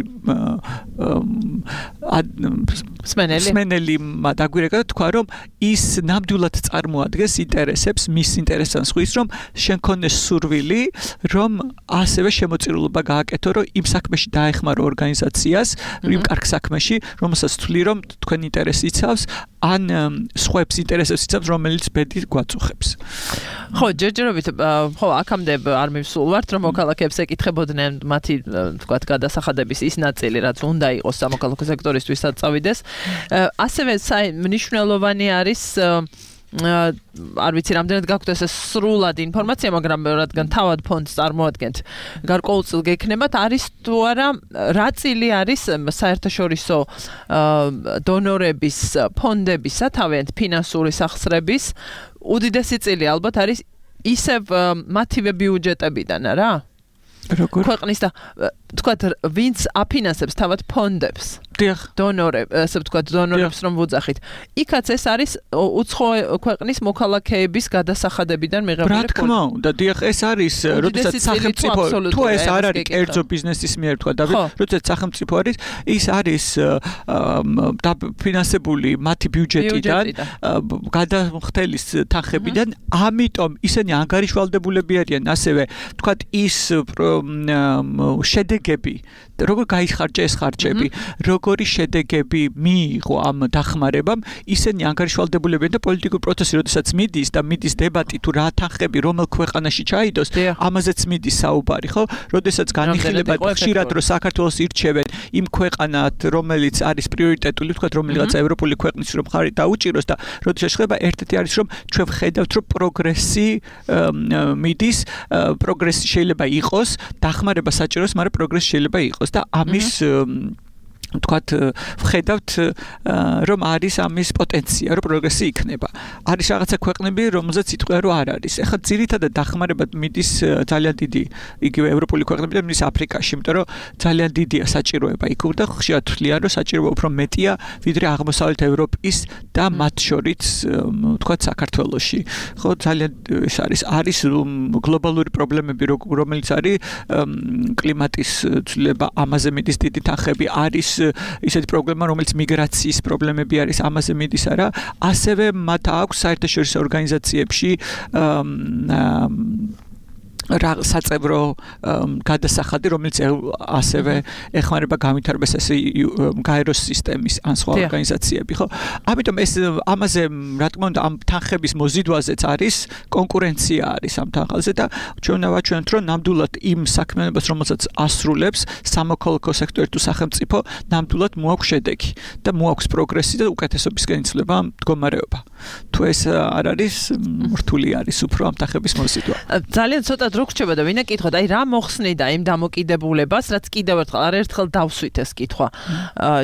სმენელი დაგვირეკა და თქვა, რომ ის ნამდვილად წარმოადგენს ინტერესებს, მის ინტერესებს ხვის, რომ შენ ქონდეს სურვილი, რომ ასევე შემოწირულობა გააკეთო, რომ იმ საქმეში დაეხმარო ორგანიზაციას, იმ კარგ საქმეში, რომელსაც თვლი, რომ თქვენ ინტერესი იცავს, ან სხვებს ინტერესებს იცავს, რომელიც ბედი გვაწუხებს. ხო, ჯერჯერობით, ხო, აქამდე არ მივსულვართ, რომ მოქალაქეებს ეკითხებოდნენ მათი, თქვათ, გადასახადების ის ნაწილი, რაც უნდა იყოს სამოქალაქო სექტორისთვისაც წავიდეს. ასევე მნიშვნელოვანი არის არ ვიცი რამდენად გაქვთ ეს სრულად ინფორმაცია, მაგრამ რადგან თავად ფონდს წარმოადგენთ, გარკვეულწილ გექნებათ, არის თუ არა რა წილი არის საერთაშორისო დონორების ფონდებისა, თავიანთ ფინანსური სახსრების უდიდესი წილი ალბათ არის ისევ მათივე ბიუჯეტებიდან, რა? ქვეყნის და თქვათ, ვინც აფინანსებს თავად ფონდებს. დონორებს, ასე ვთქვათ, დონორებს რომ ვუძახით. იქაც ეს არის უცხო ქვეყნის მოქალაქეების გადასახადებიდან მიღებული ფონდი. რა თქმა უნდა, დიახ, ეს არის, როდესაც სახელმწიფო თუ ეს არ არის კერძო ბიზნესის მიერ თქვა და როდესაც სახელმწიფო არის, ის არის დაფინანსებული მათი ბიუჯეტიდან, გადამხდელის თანხებიდან, ამიტომ ისინი ანგარიშვალდებულები არიან, ასევე თქვათ, ის შედეგები, როგორ გაიხარჯა ეს ხარჯები, როგორი შედეგები მიიღო ამ დახმარებამ, ისინი ანგარიშვალდებულებიან და პოლიტიკური პროცესი, როდესაც მიდის და მიდის დებატი თუ რა თანხები რომელ ქვეყანაში ჩაიდოს, ამაზეც მიდის საუბარი, ხო? როდესაც განიხილება ხშირად რომ საქართველოს ირჩევენ იმ ქვეყანად, რომელიც არის პრიორიტეტული, თქვათ, რომელიღაც ევროპული ქვეყნის რომ ხარი დაუჭიროს და როდესაც ხდება ერთ-ერთი არის რომ ჩვენ ვხედავთ რომ პროგრესი მიდის, პროგრესი შეიძლება იყოს, დახმარება საჭიროს, მაგრამ პროგრესი შეიძლება იყოს და ამის თქვათ, ვხედავთ, რომ არის ამის პოტენცია, რომ პროგრესი იქნება. არის რაღაცა ქვეყნები, რომელზეც იტყვია, რომ არ არის. ეხლა ძირითადად დახმარება მიდის ძალიან დიდი, იგივე ევროპული ქვეყნებიდან მიდის აფრიკაში, იმიტომ რომ ძალიან დიდია საჭიროება იქ და ხშირად თვლიან, რომ საჭიროება უფრო მეტია, ვიდრე აღმოსავლეთ ევროპის და მათ შორის, თქვათ, საქართველოში. ხო, ძალიან ეს არის გლობალური პრობლემები, რომელიც არის კლიმატის ცვლილება, ამაზე მიდის დიდი თანხები, არის ისეთი პრობლემა, რომელიც მიგრაციის პრობლემები არის, ამაზე მიდის არა, ასევე მათ აქვს საერთაშორისო ორგანიზაციებში საწევრო გადასახადი, რომელიც ასევე ეხმარება განვითარებას ესე გაეროს სისტემის ან სხვა ორგანიზაციები, ხო? ამიტომ ეს ამაზე, რა თქმა უნდა, ამ თანხების მოზიდვაზეც არის კონკურენცია არის ამ თანხაზე და ჩვენ ვაჩვენებთ, რომ ნამდვილად იმ საქმიანობას, რომელსაც ასრულებს სამოქალაქო სექტორი თუ სახელმწიფო, ნამდვილად მოაქვს შედეგი და მოაქვს პროგრესი და უკეთესობისკენ იცვლება მდგომარეობა. თუ ეს არ არის, რთული არის უფრო ამ თანხების მოზიდვა. ძალიან ცოტა რო გრჩება და ვინა კითხოთ, აი რა მოხსნიდა იმ დამოკიდებულებას, რაც კიდევ ერთხელ არაერთხელ დავსვით ეს კითხვა.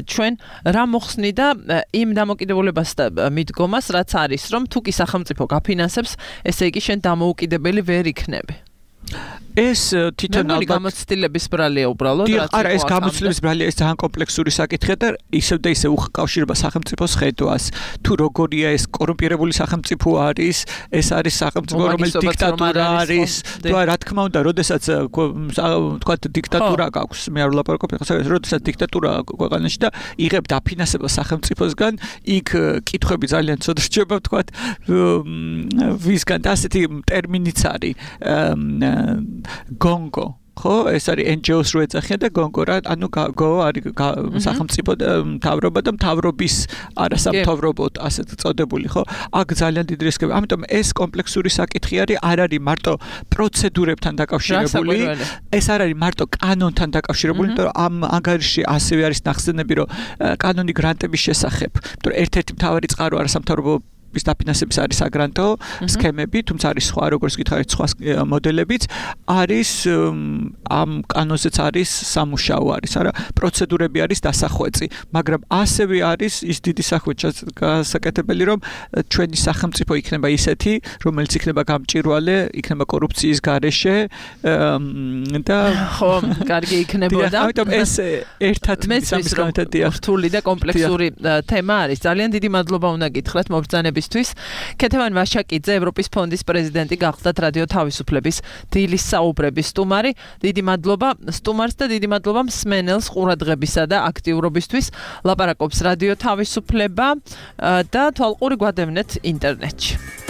ჩვენ რა მოხსნიდა იმ დამოკიდებულებას და მიდგომას, რაც არის, რომ თუ კი სახელმწიფო გაფინანსებს, ესე იგი შენ დამოუკიდებელი ვერ იქნები. ეს თვითონ ალბათ გამოცდილების ბრალია უბრალოდ რაც არა ეს გამოცდილების ბრალია ეს ძალიან კომპლექსური საკითხია და ისევ და ისევ უკავშირება სახელმწიფოს ხედვას თუ როგორია ეს კორუმპირებული სახელმწიფო არის ეს არის სახელმწიფო რომელიც დიქტატურა არის თუ რა თქმა უნდა როდესაც თქვა დიქტატურა გაქვს მე არ ვლაპარაკობ ახლა როდესაც დიქტატურა ქვეყანაში და იღებ დაფინანსებას სახელმწიფოსგან იქ კითხვები ძალიან ცუდ რჩება თქვა ვისგან და ასეთი ტერმინიც არის გონგო ხო ეს არის NGO-ს რო ეძახიან და გონგო რა ანუ გო არის სახელმწიფო მთავრობა და მთავრობის არასამთავრობო ასეთ წოდებული ხო აქ ძალიან დიდი რისკები ამიტომ ეს კომპლექსური საკითხი არის არ არის მარტო პროცედურებთან დაკავშირებული ეს არ არის მარტო კანონთან დაკავშირებული იმიტომ რომ ამ ანგარიშში ასევე არის ნახსენები რომ კანონი გრანტების შესახებ იმიტომ რომ ერთ-ერთი მთავარი წყარო არასამთავრობო ის დაფინანსების არის საგრანტო სქემები, თუმცა არის სხვა როგორც გითხარით სხვა მოდელებიც არის ამ კანონზეც არის სამუშაო არის, არა პროცედურები არის დასახვეწი, მაგრამ ასევე არის ის დიდი სახვეწი გასაკეთებელი რომ ჩვენი სახელმწიფო იქნება ისეთი, რომელიც იქნება გამჭვირვალე, იქნება კორუფციის გარეშე და ხო, კარგი იქნებოდა. ამიტომ ეს ერთად სამის რთული და კომპლექსური თემა არის. ძალიან დიდი მადლობა უნდა გითხრათ მობრძანების ქეთევან ვაშაკიძე ევროპის ფონდის პრეზიდენტი გახდათ რადიო თავისუფლების დილის საუბრების სტუმარი. დიდი მადლობა სტუმარს და დიდი მადლობა მსმენელს ყურადღებისა და აქტიურობისთვის. ლაპარაკობს რადიო თავისუფლება და თვალყური გვადევნეთ ინტერნეტში.